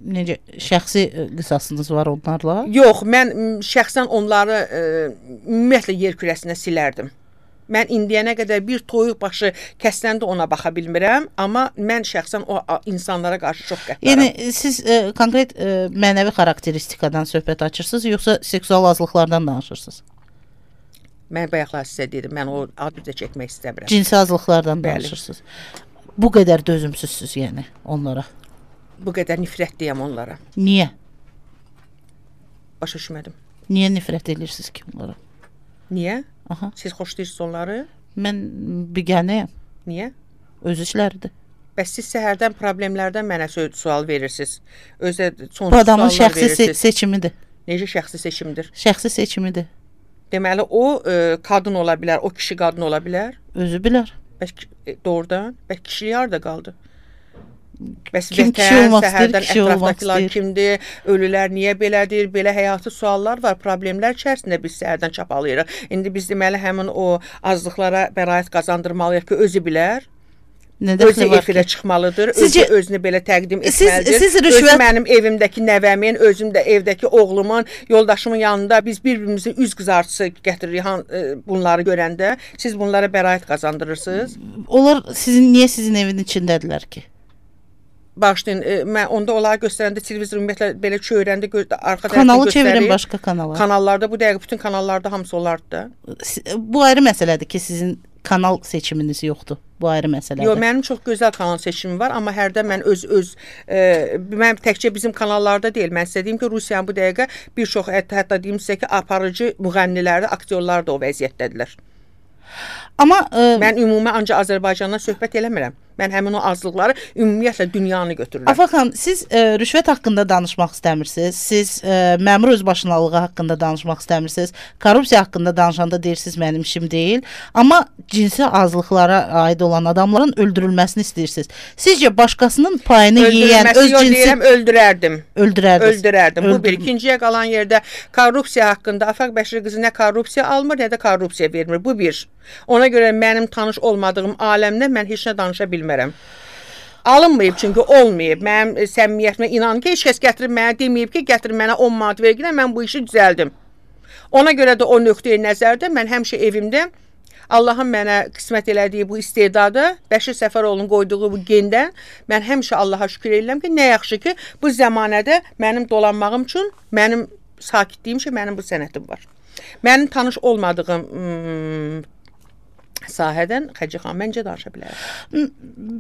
necə şəxsi qisasınız var onlarla? Yox, mən şəxsən onları e, ümumiyyətlə yer kürəsində silərdim. Mən indiyənə qədər bir toyuq başı kəsləndə ona baxa bilmirəm, amma mən şəxsən o insanlara qarşı çox qəddaram. Yəni siz e, konkret e, mənəvi xarakteristikadan söhbət açırsınız, yoxsa seksual azlıqlardan danışırsınız? Mən bayaqlar sizə dedim, mən o adı da çəkmək istəmirəm. Cinsi azlıqlardan danışırsınız. Bu qədər dözümsüzsüz yəni onlara. Bu qədər nifrət deyəm onlara. Niyə? Başa düşmədim. Niyə nifrət edirsiniz ki onlara? Niyə? Aha. Siz xoşlayırsınız onları? Mən biganəyəm. Niyə? Öz işləridir. Bəs siz səhərdən problemlərdən mənə sual verirsiniz. Özə sonsuz bu adamın suallar şəxsi se seçimidir. Necə şəxsi seçimdir? Şəxsi seçimidir. Deməli, o e, qadın ola bilər, o kişi qadın ola bilər. Özü bilər. Bəs e, doğrudan, bəs kişi harda qaldı? Bəs kim vətən, kişi olmaq səhərdən istəyir, kişi olmaq istəyir. Kimdir, ölülər niyə belədir, belə həyatı suallar var, problemlər içərisində biz səhərdən çapalayırıq. İndi biz deməli həmin o azlıqlara bəraət qazandırmalıyıq ki, özü bilər. Özü efirə çıxmalıdır, Sizcə, özü özünü belə təqdim etməlidir. Siz, siz rüşvət... Özü mənim evimdəki nəvəmin, özüm də evdəki oğlumun, yoldaşımın yanında biz bir-birimizin üz qızartısı gətiririk bunları görəndə. Siz bunlara bəraət qazandırırsınız. Onlar sizin, niyə sizin evin içindədirlər ki? Bağışlayın, e, mən onda onları göstərəndə televizor ümumiyyətlə belə çöyrəndə arxa tərəfdən kanalı çevirin başqa kanala. Kanallarda bu dəqiqə bütün kanallarda hamısı onlardır. Bu ayrı məsələdir ki, sizin kanal seçiminiz yoxdur. Bu ayrı məsələdir. Yox, mənim çox gözəl kanal seçimim var, amma hərdən mən öz öz e, mən təkcə bizim kanallarda deyil. Mən sizə deyim ki, Rusiyanın bu dəqiqə bir çox hətta, hətta deyim sizə ki, aparıcı müğənniləri, aktyorlar da o vəziyyətdədirlər. Amma e, mən ümumi ancaq Azərbaycandan söhbət eləmirəm. Mən həmin o azlıqları ümumiyyətlə dünyanı götürürəm. Afaq xanım, siz e, rüşvət haqqında danışmaq istəmirsiniz. Siz e, məmur özbaşınalığı haqqında danışmaq istəmirsiniz. Korrupsiya haqqında danışanda deyirsiniz mənim işim deyil. Amma cinsi azlıqlara aid olan adamların öldürülməsini istəyirsiniz. Sizcə başqasının payını yeyən öz yox, cinsi deyirəm, öldürərdim. Öldürərdiniz. Öldürərdim. Öldür... Bu bir. İkinciyə qalan yerdə korrupsiya haqqında Afaq Bəşir qızı nə korrupsiya almır, nə də korrupsiya vermir. Bu bir. Ona görə mənim tanış olmadığım aləmdə mən heç nə danışa bilmərəm. Alınmayıb çünki olmayıb. Mənim səmimiyyətimə inan ki, heç kəs gətirib mənə deməyib ki, gətirib mənə on manat verginə, mən bu işi düzəldim. Ona görə də o nöqteyi nəzərdə mən həmişə evimdə Allahın mənə qismət elədiyi bu istedadı, Bəşir Səfəroğlu'nun qoyduğu bu gendən mən həmişə Allaha şükür edirəm ki, nə yaxşı ki, bu zəmanədə mənim dolanmağım üçün mənim sakitliyim ki, mənim bu sənətim var. Mənim tanış olmadığım hmm, sahədən Xəci xan məncə danışa bilərəm.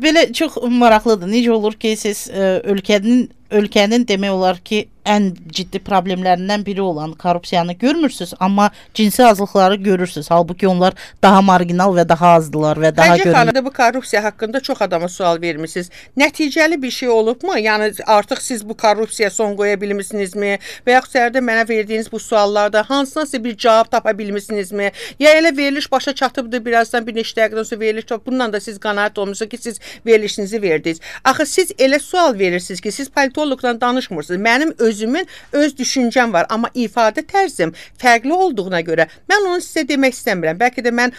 Belə çox maraqlıdır. Necə olur ki, siz ə, ölkənin ölkənin demək olar ki, ən ciddi problemlərindən biri olan korrupsiyanı görmürsünüz, amma cinsi azlıqları görürsünüz. Halbuki onlar daha marginal və daha azdılar və daha görünür. Xəci xanım, bu korrupsiya haqqında çox adama sual vermişsiniz. Nəticəli bir şey olubmu? Yəni artıq siz bu korrupsiya son qoya bilmisinizmi? Və yaxud səhərdə mənə verdiyiniz bu suallarda hansınasa bir cavab tapa bilmisinizmi? Ya elə veriliş başa çatıbdır, birazdan bir neçə dəqiqədən sonra veriliş çatıb. Bundan da siz qənaət olmusunuz ki, siz verilişinizi verdiniz. Axı siz elə sual verirsiniz ki, siz politologla danışmırsınız. Mənim özümün öz düşüncəm var, amma ifadə tərzim fərqli olduğuna görə mən onu sizə demək istəmirəm. Bəlkə də mən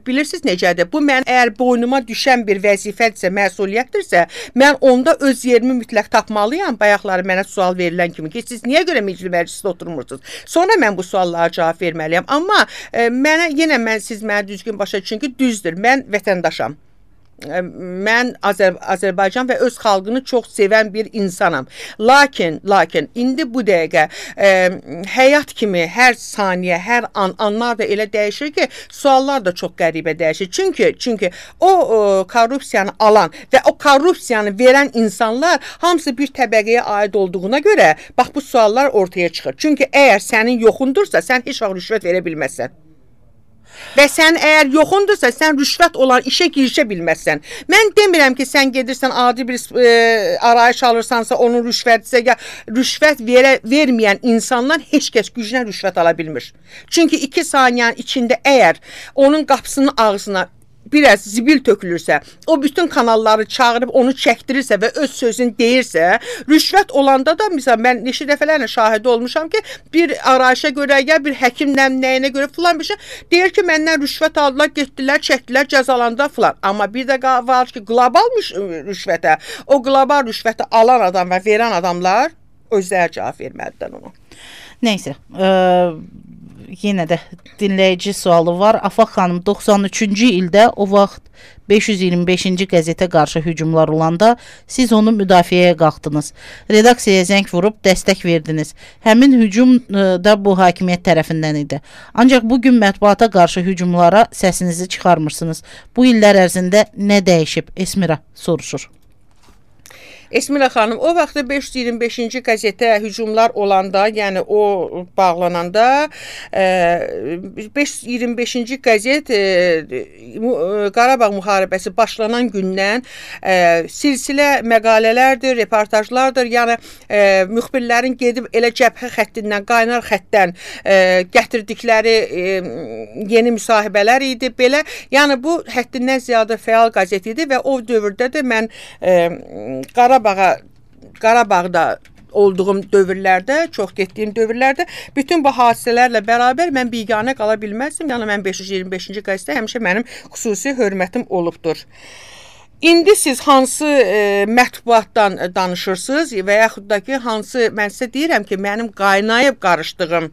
bilirsiniz necədir? Bu mən əgər boynuma düşən bir vəzifədirsə, məsuliyyətdirsə, mən onda öz yerimi mütləq tapmalıyam. Bayaqları mənə sual verilən kimi ki, siz niyə görə meclis məclisdə oturmursunuz? Sonra mən bu suallara cavab verməliyəm. Amma e, mənə yenə mən siz mənə düzgün başa düşün ki, düzdür. Mən vətəndaşam. Mən Azər Azərbaycan və öz xalqını çox sevən bir insanam. Lakin, lakin indi bu dəqiqə e, həyat kimi hər saniyə, hər an, anlar da elə dəyişir ki, suallar da çox qəribə dəyişir. Çünki, çünki o, o korrupsiyanı alan və o korrupsiyanı verən insanlar hamısı bir təbəqəyə aid olduğuna görə bax bu suallar ortaya çıxır. Çünki əgər sənin yoxundursa, sən heç vaxt rüşvət verə bilməzsən. Və sən əgər yoxundursa, sən rüşvət olan işə girişə bilməzsən. Mən demirəm ki, sən gedirsən adi bir e, arayış alırsansa, onun rüşvətsə, ya rüşvət verə, verməyən insanlar heç kəs gücünə rüşvət ala bilmir. Çünki iki saniyənin içində əgər onun qapısının ağzına biraz zibil tökülürsə, o bütün kanalları çağırıb onu çəkdirirsə və öz sözünü deyirsə, rüşvət olanda da, misal, mən neçə dəfələrlə şahidi olmuşam ki, bir arayışa görə, ya bir həkimlə nəyinə görə filan bir şey, deyir ki, məndən rüşvət aldılar, getdilər, çəkdilər, cəzalandılar filan. Amma bir də var ki, qlobal rüşvətə, o qlobal rüşvəti alan adam və verən adamlar özləri cavab verməlidir onu. Neysə, ə yenə də dinləyici sualı var. Afaq xanım, doxsan üçüncü ildə o vaxt beş yüz iyirmi beşinci qəzetə qarşı hücumlar olanda siz onu müdafiəyə qalxdınız. Redaksiyaya zəng vurub dəstək verdiniz. Həmin hücum da bu hakimiyyət tərəfindən idi. Ancaq bugün mətbuata qarşı hücumlara səsinizi çıxarmırsınız. Bu illər ərzində nə dəyişib? Esmira soruşur. Esmira xanım, o vaxtda beş yüz iyirmi beşinci qəzetə hücumlar olanda, yəni o bağlananda beş yüz iyirmi beşinci qəzet Qarabağ müharibəsi başlanan gündən silsilə məqalələrdir, reportajlardır. Yəni müxbirlərin gedib elə cəbhə xəttindən, qaynar xəttdən gətirdikləri yeni müsahibələr idi. Belə, yəni bu həddindən ziyadə fəal qəzet idi və o dövrdə də mən Qarabağ Qarabağa, Qarabağda olduğum dövrlərdə, çox getdiyim dövrlərdə bütün bu hadisələrlə bərabər mən biganə qala bilməzdim. Yəni mən beş yüz iyirmi beşinci qəzetə həmişə mənim xüsusi hörmətim olubdur. İndi siz hansı e, mətbuatdan danışırsınız və yaxud da ki, hansı, mən sizə deyirəm ki, mənim qaynayıb qarışdığım,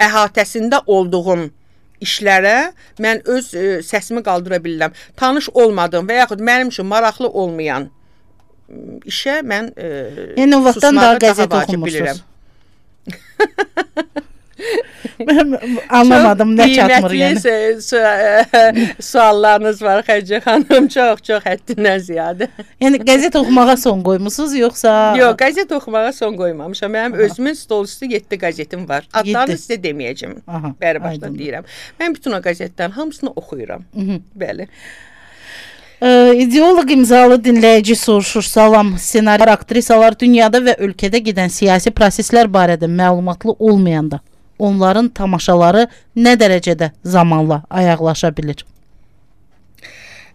əhatəsində olduğum işlərə mən öz e, səsimi qaldıra bilirəm. Tanış olmadığım və yaxud mənim üçün maraqlı olmayan işə mən e, yəni, o vaxtdan daha susmağı qəzet daha vacib oxumursunuz. bilirəm. Anlamadım, nə çatmır yəni. Çox qiymətli suallarınız var Xədicə xanım, çox, çox həddindən ziyadə. Yəni, qəzet oxumağa son qoymusunuz, yoxsa? Yox, qəzet oxumağa son qoymamışam. Mənim Aha. özümün stol üstü yeddi qəzetim var. Adlarını sizə deməyəcəm. Bəri başdan deyirəm. Mən bütün o qəzetlərin hamısını oxuyuram. Hı -hı. Bəli. Ee, ideoloq imzalı dinləyici soruşur. Salam, senaryo aktrisalar dünyada və ölkədə gedən siyasi proseslər barədə məlumatlı olmayanda onların tamaşaları nə dərəcədə zamanla ayaqlaşa bilir?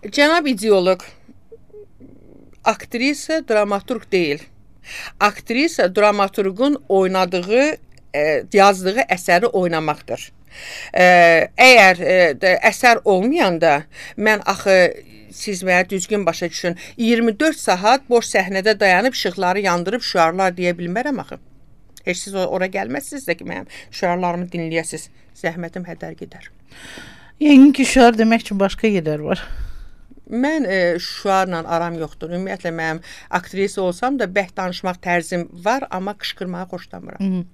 Cənab ideoloq, aktrisa dramaturq deyil. Aktrisa dramaturqun oynadığı, e, yazdığı əsəri oynamaqdır. E, əgər e, əsər olmayanda mən axı siz mənə düzgün başa düşün, iyirmi dörd saat boş səhnədə dayanıb işıqları yandırıb şüarlar deyə bilmərəm axı. Heç siz ora gəlməzsiniz də ki, mənim şüarlarımı dinləyəsiniz. Zəhmətim hədər gedər. Yəni ki, şüar demək üçün başqa yerlər var. Mən e, şüarla aram yoxdur. Ümumiyyətlə, mənim aktrisa olsam da bəhd danışmaq tərzim var, amma qışqırmağı xoşlamıram. Hı -hı.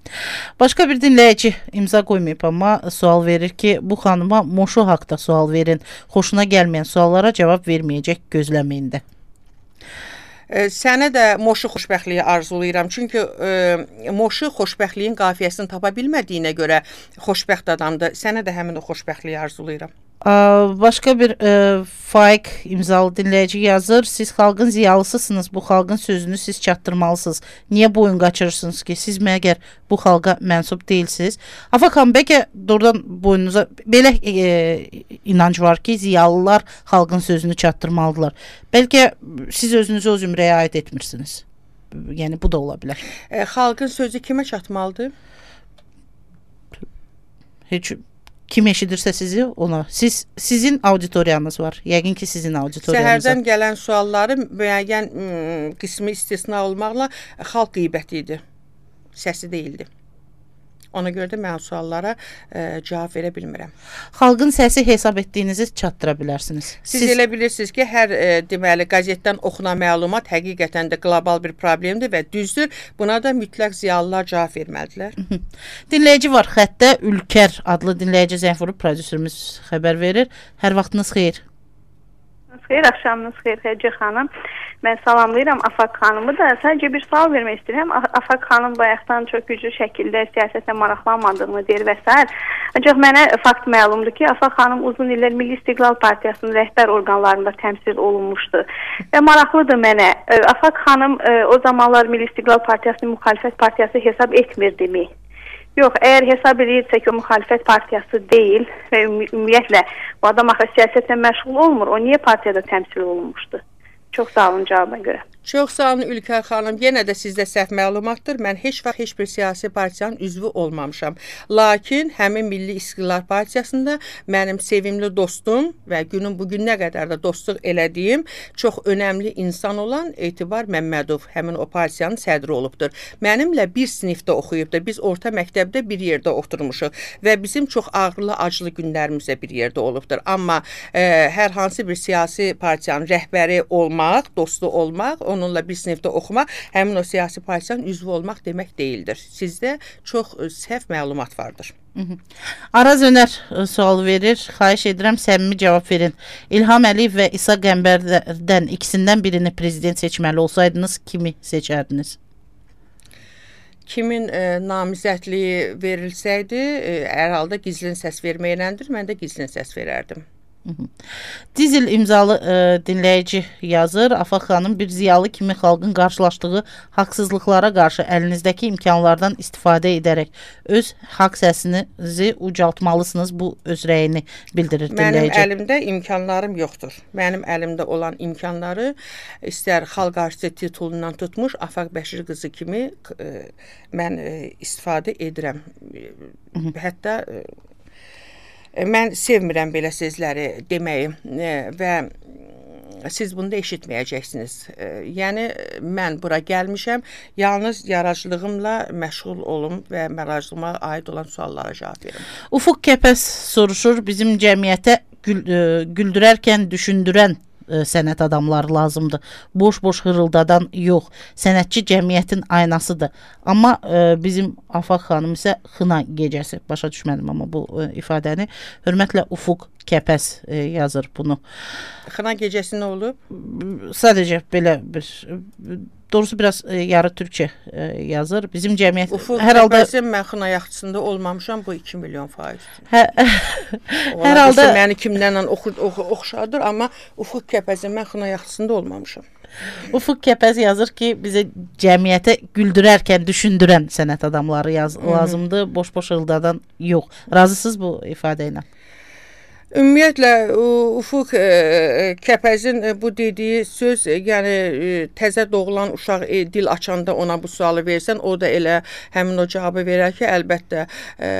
Başqa bir dinləyici imza qoymayıb, amma sual verir ki, bu xanıma Moşu haqda sual verin. Xoşuna gəlməyən suallara cavab verməyəcək, gözləməyində. E, sənə də Moşu xoşbəxtliyi arzulayıram. Çünki e, Moşu xoşbəxtliyin qafiyəsini tapa bilmədiyinə görə xoşbəxt adamdır. Sənə də həmin o xoşbəxtliyi arzulayıram. Başqa bir e, Faik imzalı dinləyici yazır. Siz xalqın ziyalısısınız. Bu xalqın sözünü siz çatdırmalısınız. Niyə boyun qaçırırsınız ki? Siz məgər bu xalqa mənsub deyilsiniz? Afakan, bəlkə doğrudan boynunuza belə e, inanc var ki, ziyalılar xalqın sözünü çatdırmalıdırlar. Bəlkə siz özünüzü o zümrəyə aid etmirsiniz. Yəni, bu da ola bilər. E, xalqın sözü kimə çatmalıdır? Heç kim eşidirsə sizi, ona. Siz, sizin auditoriyanız var. Yəqin ki, sizin auditoriyanız var. Səhərdən gələn sualları müəyyən qismi istisna olmaqla xalq qeybəti idi. Səsi deyildi. Ona görə də mən suallara e, cavab verə bilmirəm. Xalqın səsi hesab etdiyinizi çatdıra bilərsiniz. Siz, Siz elə bilirsiniz ki, hər e, deməli qəzetdən oxunan məlumat həqiqətən də qlobal bir problemdir və düzdür. Buna da mütləq ziyalılar cavab verməlidirlər. Dinləyici var xəttə. Ülkər adlı dinləyici zəng vurub, prodüserimiz xəbər verir. Hər vaxtınız xeyir. Xeyir, axşamınız xeyir Xədicə xanım. Mən salamlayıram Afaq xanımı da. Sadəcə bir sual vermək istəyirəm. Afaq xanım bayaqdan çox güclü şəkildə siyasətlə maraqlanmadığını deyir və s. Ancaq mənə fakt məlumdur ki, Afaq xanım uzun illər Milli İstiqlal Partiyasının rəhbər orqanlarında təmsil olunmuşdu. Və maraqlıdır mənə. Afaq xanım o zamanlar Milli İstiqlal Partiyasını müxalifət partiyası hesab etmirdimi? Yox, əgər hesab edirsə ki, o müxalifət partiyası deyil və ümumiyyətlə bu adam axı siyasətlə məşğul olmur, o niyə partiyada təmsil olunmuşdu? Çox sağ olun cavabına görə. Çox sağ olun Ülkər xanım. Yenə də sizdə səhv məlumatdır. Mən heç vaxt heç bir siyasi partiyanın üzvü olmamışam. Lakin həmin Milli İstiqlal Partiyasında mənim sevimli dostum və günün bugününə qədər də dostluq elədiyim çox önəmli insan olan Etibar Məmmədov həmin o partiyanın sədri olubdur. Mənimlə bir sinifdə oxuyubdur. Biz orta məktəbdə bir yerdə oturmuşuq və bizim çox ağırlı, acılı günlərimiz də bir yerdə olubdur. Amma e, hər hansı bir siyasi partiyanın rəhbəri olmaq, dostu olmaq, onunla bir sinifdə oxumaq, həmin o siyasi partiyanın üzvü olmaq demək deyildir. Sizdə çox səhv məlumat vardır. Hı -hı. Araz Önər sual verir. Xahiş edirəm, səmimi cavab verin. İlham Əliyev və İsa Qəmbərdən ikisindən birini prezident seçməli olsaydınız, kimi seçərdiniz? Kimin e, namizədliyi verilsəydi, e, hər halda gizlin səs verməyələndir. Mən də gizlin səs verərdim. Dizil imzalı e, dinləyici yazır. Afaq xanım, bir ziyalı kimi xalqın qarşılaşdığı haqsızlıqlara qarşı əlinizdəki imkanlardan istifadə edərək öz haqq səsinizi ucaltmalısınız. Bu öz rəyini bildirir dinləyici. Mənim əlimdə imkanlarım yoxdur. Mənim əlimdə olan imkanları istər xalq artisti titulundan tutmuş Afaq Bəşir qızı kimi e, mən e, istifadə edirəm. Hətta e, mən sevmirəm belə sözləri deməyi və siz bunu da eşitməyəcəksiniz. E, yəni mən bura gəlmişəm, yalnız yaradıcılığımla məşğul olum və yaradıcılığıma aid olan suallara cavab verim. Ufuq Kəpəz soruşur, bizim cəmiyyətə gül, e, güldürərkən düşündürən e, sənət adamları lazımdır. Boş-boş hırıldadan yox. Sənətçi cəmiyyətin aynasıdır. Amma e, bizim Afaq xanım isə xına gecəsi. Başa düşmədim amma bu e, ifadəni. Hörmətlə Ufuq Kəpəz e, yazır bunu. Xına gecəsi nə olub? Sadəcə belə bir doğrusu biraz e, yarı türkçe e, yazır. Bizim cəmiyyət Ufuq hər halda Kəpəzin mən xına yaxçısında olmamışam, bu iki milyon faiz. Hə, hər halda məni kimlərlə oxu, oxu, oxşadır, amma Ufuq Kəpəzin mən xına yaxçısında olmamışam. Ufuq Kəpəz yazır ki, bizə cəmiyyətə güldürərkən düşündürən sənət adamları yaz, lazımdır, boş-boş hırıldadan yox. Razısınız bu ifadə ilə? Ümumiyyətlə Ufuq e, Kəpəzin e, bu dediyi söz, e, yəni e, təzə doğulan uşaq e, dil açanda ona bu sualı versən, o da elə həmin o cavabı verər ki, əlbəttə e,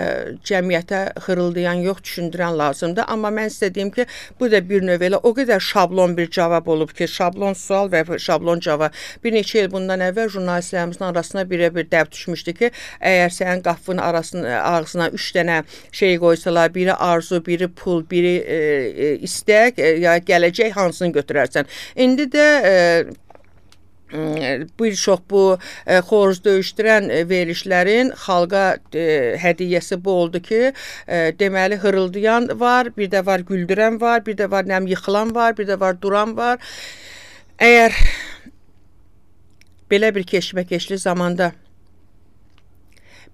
cəmiyyətə xırıldayan yox, düşündürən lazımdır. Amma mən sizə deyim ki, bu da bir növ elə o qədər şablon bir cavab olub ki, şablon sual və şablon cavab. Bir neçə il bundan əvvəl jurnalistlərimizin arasına birə bir dəb düşmüşdü ki, əgər sənin qapının arasına, ağzına üç dənə şey qoysalar, biri arzu, biri pul, biri biri e, e, istək, e, ya gələcək, hansını götürərsən. İndi də e, bir çox bu e, xoruz döyüşdürən e, verilişlərin xalqa e, hədiyyəsi bu oldu ki, e, deməli hırıldayan var, bir də var güldürən var, bir də var nəm yıxılan var, bir də var duran var. Əgər belə bir keşməkeşli zamanda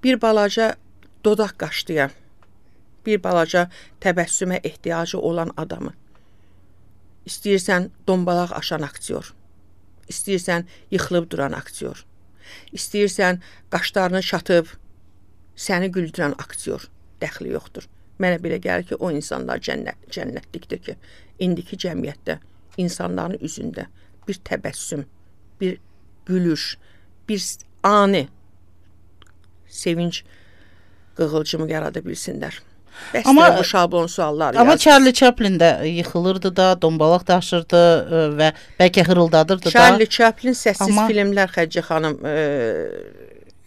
bir balaca dodaq qaşlayan, bir balaca təbəssümə ehtiyacı olan adamı, istəyirsən dombalaq aşan aktyor, istəyirsən yıxılıb duran aktyor, istəyirsən qaşlarını çatıb səni güldürən aktyor, dəxli yoxdur. Mənə belə gəlir ki, o insanlar cənnət, cənnətlikdir ki, indiki cəmiyyətdə insanların üzündə bir təbəssüm, bir gülüş, bir ani sevinç qığılcımı yarada bilsinlər. Bəs amma bu şablon suallar amma yazır. Charlie Chaplin də yıxılırdı da, dombalaq daşırdı və bəlkə hırıldadırdı da. Charlie Chaplin səssiz amma... filmlər Xədicə xanım e,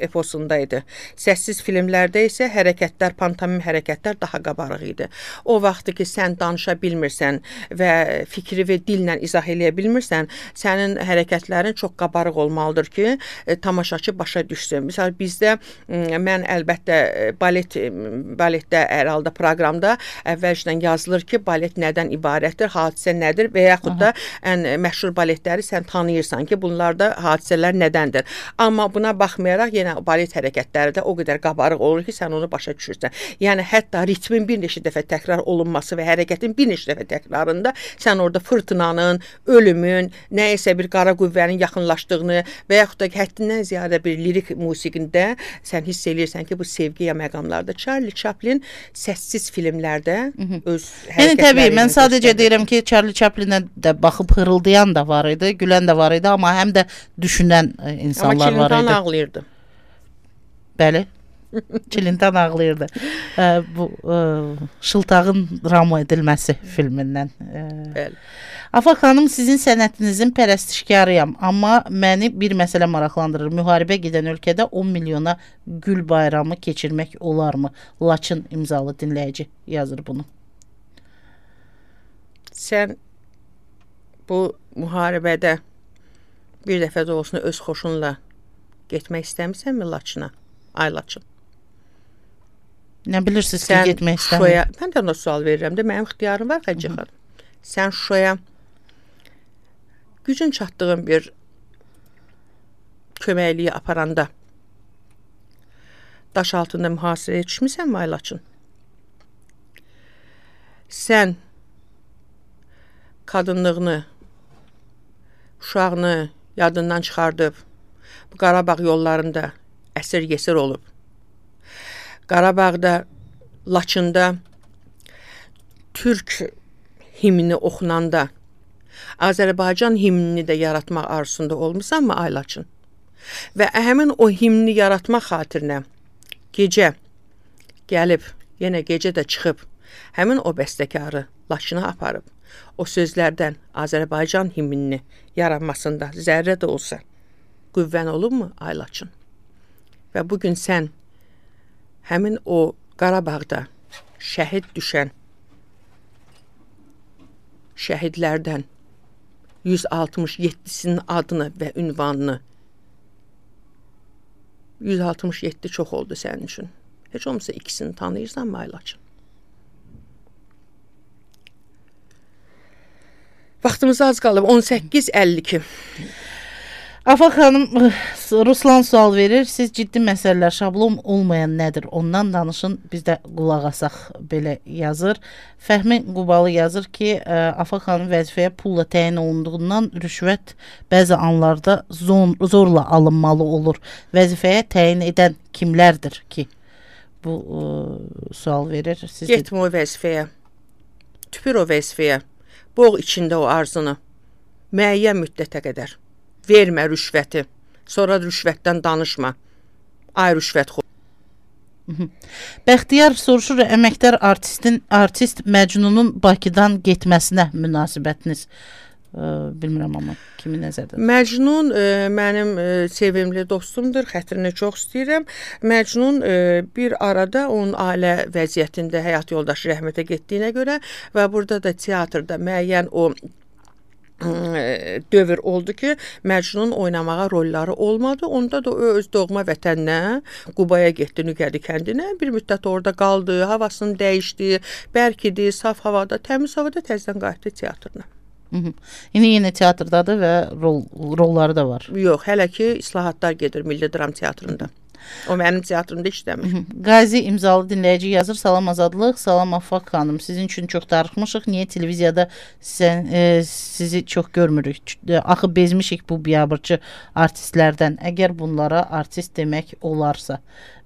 eposundaydı. Səssiz filmlərdə isə hərəkətlər, pantomim hərəkətlər daha qabarıq idi. O vaxtı ki, sən danışa bilmirsən və fikri və dillə izah eləyə bilmirsən, sənin hərəkətlərin çox qabarıq olmalıdır ki, e, tamaşaçı başa düşsün. Məsələn, bizdə mən əlbəttə balet, baletdə hər halda proqramda əvvəlcədən yazılır ki, balet nədən ibarətdir, hadisə nədir və yaxud da ən məşhur baletləri sən tanıyırsan ki, bunlarda hadisələr nədəndir. Amma buna baxmayaraq, yenə balet hərəkətləri də o qədər qabarıq olur ki, sən onu başa düşürsən. Yəni, hətta ritmin bir neçə dəfə təkrar olunması və hərəkətin bir neçə dəfə təkrarında sən orada fırtınanın, ölümün, nəyəsə bir qara qüvvənin yaxınlaşdığını və yaxud da həddindən ziyadə bir lirik musiqində sən hiss eləyirsən ki, bu sevgi ya məqamlarda. Charlie Chaplin səssiz filmlərdə öz hərəkətləri... Yəni, təbii, mən sadəcə deyirəm ki, Charlie Chaplinə də baxıb hırıldayan da var idi, gülən də var idi, amma həm də düşünən insanlar var idi. Amma Çilintan ağlayırdı. Bəli, Çilintan ağlayırdı. e, bu e, Şıltağın drama edilməsi filmindən. E, Bəli. Afaq xanım, sizin sənətinizin pərəstişkarıyam, amma məni bir məsələ maraqlandırır. Müharibə gedən ölkədə on milyona gül bayramı keçirmək olarmı? Laçın imzalı dinləyici yazır bunu. Sən bu müharibədə bir dəfə də olsun öz xoşunla getmək istəmirsənmi Laçına? Ay Laçın. Nə bilirsiniz ki, Sən getmək istəmir? Şuşaya, mən də ona sual verirəm də, mənim ixtiyarım var Xədicə xanım. Sən Şuşaya gücün çatdığın bir köməkliyi aparanda daş altında mühasirəyə düşmüsən mi Ay Laçın? Sən qadınlığını, uşağını yadından çıxardıb bu Qarabağ yollarında əsir yesir olub. Qarabağda, Laçında Türk himni oxunanda Azərbaycan himnini də yaratmaq arzusunda olmusan mı Ay Laçın? Və həmin o himni yaratmaq xatirinə gecə gəlib, yenə gecə də çıxıb həmin o bəstəkarı Laçına aparıb. o sözlərdən Azərbaycan himnini yaranmasında zərrə də olsa qüvvən olubmu Aylaçın? Və bugün sən həmin o Qarabağda şəhid düşən şəhidlərdən yüz altmış yeddisinin adını və ünvanını yüz altmış yeddi çox oldu sənin üçün. Heç olmasa ikisini tanıyırsan mı Aylaçın? Vaxtımız az qalıb. on səkkiz əlli iki. Afaq xanım, Ruslan sual verir. Siz ciddi məsələlər, şablon olmayan nədir? Ondan danışın, biz də qulaq asaq belə yazır. Fəhmi Qubalı yazır ki, Afaq xanım vəzifəyə pulla təyin olunduğundan rüşvət bəzi anlarda zor, zorla alınmalı olur. Vəzifəyə təyin edən kimlərdir ki? Bu ə, sual verir. Siz Getmə o vəzifəyə. Tüpür o vəzifəyə. Boğ içində o arzunu. Müəyyən müddətə qədər. Vermə rüşvəti. Sonra rüşvətdən danışma. Ay rüşvət xo. Bəxtiyar soruşur, əməkdar artistin, artist Məcnunun Bakıdan getməsinə münasibətiniz. Ə, bilmirəm amma kimi nəzərdə? Məcnun e, mənim e, sevimli dostumdur, xətrini çox istəyirəm. Məcnun e, bir arada onun ailə vəziyyətində həyat yoldaşı rəhmətə getdiyinə görə və burada da teatrda müəyyən o dövr oldu ki, Məcnun oynamağa rolları olmadı. Onda da o öz doğma vətəninə, Qubaya getdi, Nüqədi kəndinə. Bir müddət orada qaldı, havasını dəyişdi, bərk idi, saf havada, təmiz havada təzədən qayıtdı teatrına. Hı -hı. İndi yenə teatrdadır və rol, rolları da var. Yox, hələ ki islahatlar gedir Milli Dram Teatrında. O mənim teatrımda işləmir. Hı -hı. Qazi imzalı dinləyici yazır. Salam Azadlıq, salam Afaq xanım. Sizin üçün çox darıxmışıq. Niyə televiziyada sən, e, sizi çox görmürük? Axı bezmişik bu biabırçı artistlərdən. Əgər bunlara artist demək olarsa,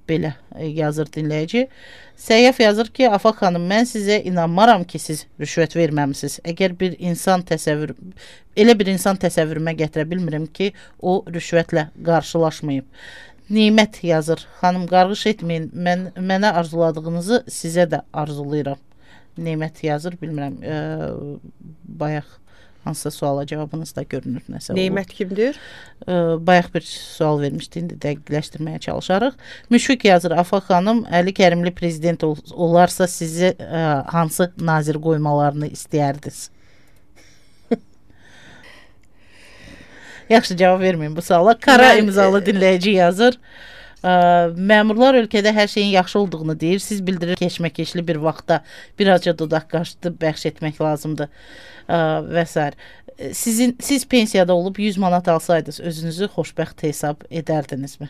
belə e, yazır dinləyici. Səyyaf yazır ki, Afaq xanım, mən sizə inanmaram ki, siz rüşvət verməmisiniz. Əgər bir insan təsəvvür, elə bir insan təsəvvürümə gətirə bilmirəm ki, o rüşvətlə qarşılaşmayıb. Nimət yazır. Xanım, qarğış etməyin. Mən, mənə arzuladığınızı sizə də arzulayıram. Nimət yazır. Bilmirəm. E, bayaq hansısa suala cavabınız da görünür. Nəsə Nimət kimdir? E, bayaq bir sual vermişdi. İndi dəqiqləşdirməyə çalışarıq. Müşfiq yazır. Afaq xanım, Əli Kərimli prezident ol olarsa sizi e, hansı nazir qoymalarını istəyərdiniz? Yaxşı, cavab verməyin bu suala. Kara mən, imzalı dinləyici yazır. Ə, məmurlar ölkədə hər şeyin yaxşı olduğunu deyir. Siz bildirir keşməkeşli bir vaxtda birazca dodaq qaşdı bəxş etmək lazımdır ə, və s. Sizin, siz pensiyada olub yüz manat alsaydınız, özünüzü xoşbəxt hesab edərdinizmi?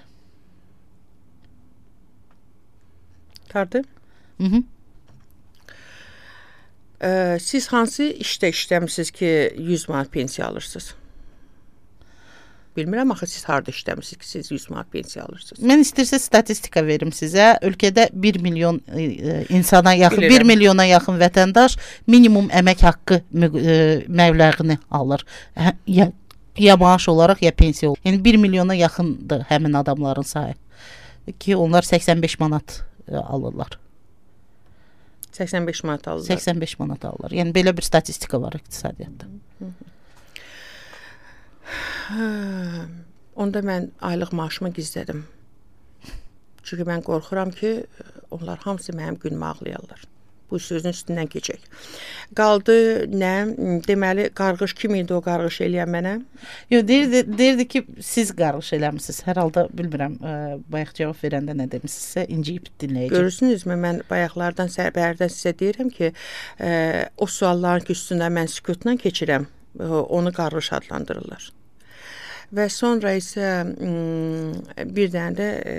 Tardı? Hı -hı. Ə, siz hansı işdə işləmisiniz ki, yüz manat pensiya alırsınız? Bilmirəm, axı siz harada işləmisiniz ki, siz yüz manat pensiya alırsınız? Mən istərsə statistika verim sizə. Ölkədə bir milyon e, insana yaxın, Bilirəm. bir milyona yaxın vətəndaş minimum əmək haqqı e, məbləğini alır. Ya, ya maaş olaraq, ya pensiya olaraq. Yəni bir milyona yaxındır həmin adamların sayı. Ki onlar səksən beş manat e, alırlar. səksən beş manat alırlar. səksən beş manat alırlar. Yəni belə bir statistika var iqtisadiyyatda. Hı -hı. Onda mən aylıq maaşımı gizlədim. Çünki mən qorxuram ki, onlar hamısı mənim günümü ağlayarlar. Bu sözün üstündən keçək. Qaldı nə? Deməli, qarğış kim idi o qarğış eləyən mənə? Yox, deyirdi, deyirdi ki, siz qarğış eləmişsiniz. Hər halda bilmirəm, ə, bayaq cavab verəndə nə demişsinizsə, inciyib dinləyəcəm. Görürsünüzmü, mən bayaqlardan, səhərdən sizə deyirəm ki, ə, o sualların ki, üstündə mən sükutla keçirəm, ə, onu qarğış adlandırırlar. Və sonra isə bir dənə də e,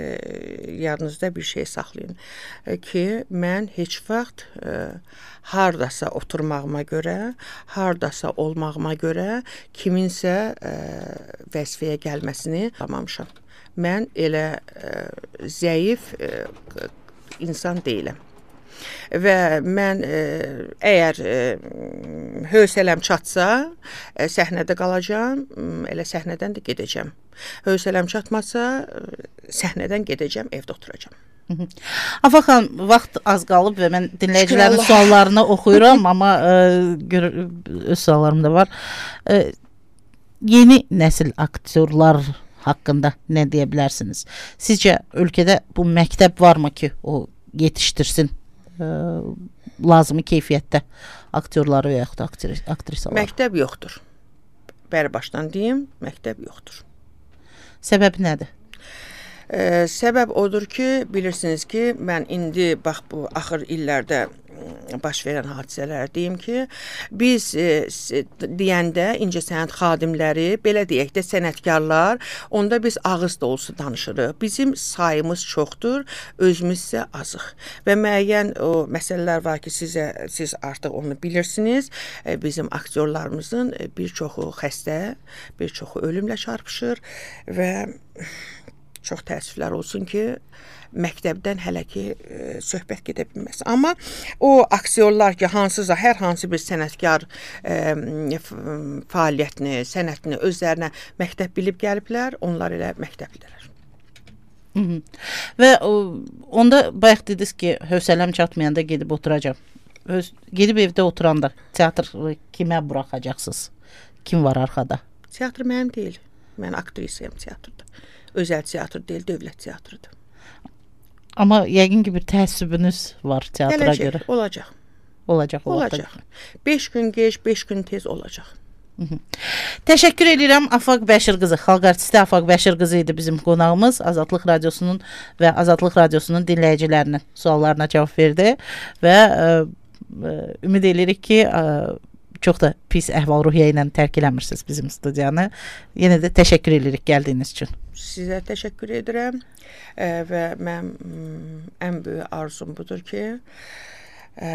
yadınızda bir şey saxlayın e, ki, mən heç vaxt e, hardasa oturmağıma görə, hardasa olmağıma görə kiminsə e, vəzifəyə gəlməsini anlamamışam. Mən elə e, zəif e, insan deyiləm. Və mən e, əgər e, hövsələm çatsa, e, səhnədə qalacağam, elə səhnədən də gedəcəm. Hövsələm çatmasa, e, səhnədən gedəcəm, evdə oturacağam. Afaq xanım, vaxt az qalıb və mən dinləyicilərin suallarını oxuyuram, amma ə, gör, öz suallarım da var. Ə, yeni nəsil aktyorlar haqqında nə deyə bilərsiniz? Sizcə ölkədə bu məktəb varmı ki, o yetişdirsin ə, lazımi keyfiyyətdə aktyorları və yaxud aktrisaları? Məktəb yoxdur. Bəri başdan deyim, məktəb yoxdur. Səbəbi nədir? Ə, səbəb odur ki, bilirsiniz ki, mən indi bax bu axır illərdə baş verən hadisələr deyim ki, biz e, deyəndə incəsənət xadimləri, belə deyək də sənətkarlar, onda biz ağız dolusu danışırıq. Bizim sayımız çoxdur, özümüz isə azıq. Və müəyyən o məsələlər var ki, sizə siz artıq onu bilirsiniz. E, bizim aktyorlarımızın bir çoxu xəstə, bir çoxu ölümlə çarpışır və çox təəssüflər olsun ki, məktəbdən hələ ki e, söhbət gedə bilməz. Amma o aktyorlar ki, hansısa, hər hansı bir sənətkar e, fəaliyyətini, sənətini özlərinə məktəb bilib gəliblər, onlar elə məktəbdələr. Hı -hı. Və o, onda bayaq dediniz ki, hövsələm çatmayanda gedib oturacam. Öz, gedib evdə oturanda teatr kimə buraxacaqsınız? Kim var arxada? Teatr mənim deyil. Mən aktrisayam teatrda. Özəl teatr deyil, dövlət teatrıdır. Amma yəqin ki bir təəssübünüz var teatra Gələcək, görə. olacaq. Olacaq. Olacaq. beş gün gec, beş gün tez olacaq. Hı -hı. Təşəkkür edirəm Afaq Bəşir qızı. Xalq artisti Afaq Bəşir qızı idi bizim qonağımız. Azadlıq Radiosunun və Azadlıq Radiosunun dinləyicilərinin suallarına cavab verdi və ə, ə, ümid edirik ki, ə, çox da pis əhval-ruhiyyə ilə tərk eləmirsiniz bizim studiyanı. Yenə də təşəkkür edirik gəldiyiniz üçün. Sizə təşəkkür edirəm e, və mən ən böyük arzum budur ki, e,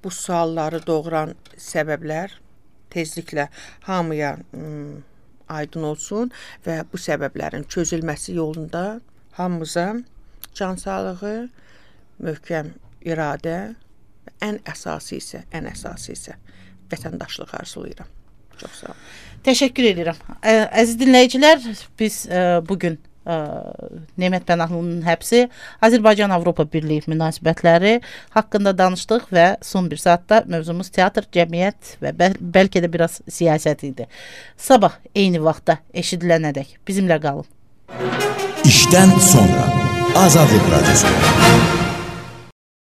bu sualları doğuran səbəblər tezliklə hamıya m, aydın olsun və bu səbəblərin çözülməsi yolunda hamımıza can sağlığı, möhkəm iradə və ən əsası isə, ən əsası isə vətəndaşlıq arzulayıram. Çox sağ olun. Təşəkkür edirəm. Ə, əziz dinləyicilər, biz ə, bugün ə, Nemət Pənahlı'nın həbsi, Azərbaycan-Avropa Birliyi münasibətləri haqqında danışdıq və son bir saatda mövzumuz teatr, cəmiyyət və bəl bəlkə də biraz siyasət idi. Sabah eyni vaxtda eşidilənədək bizimlə qalın. İşdən sonra Azadlıq Radiosu.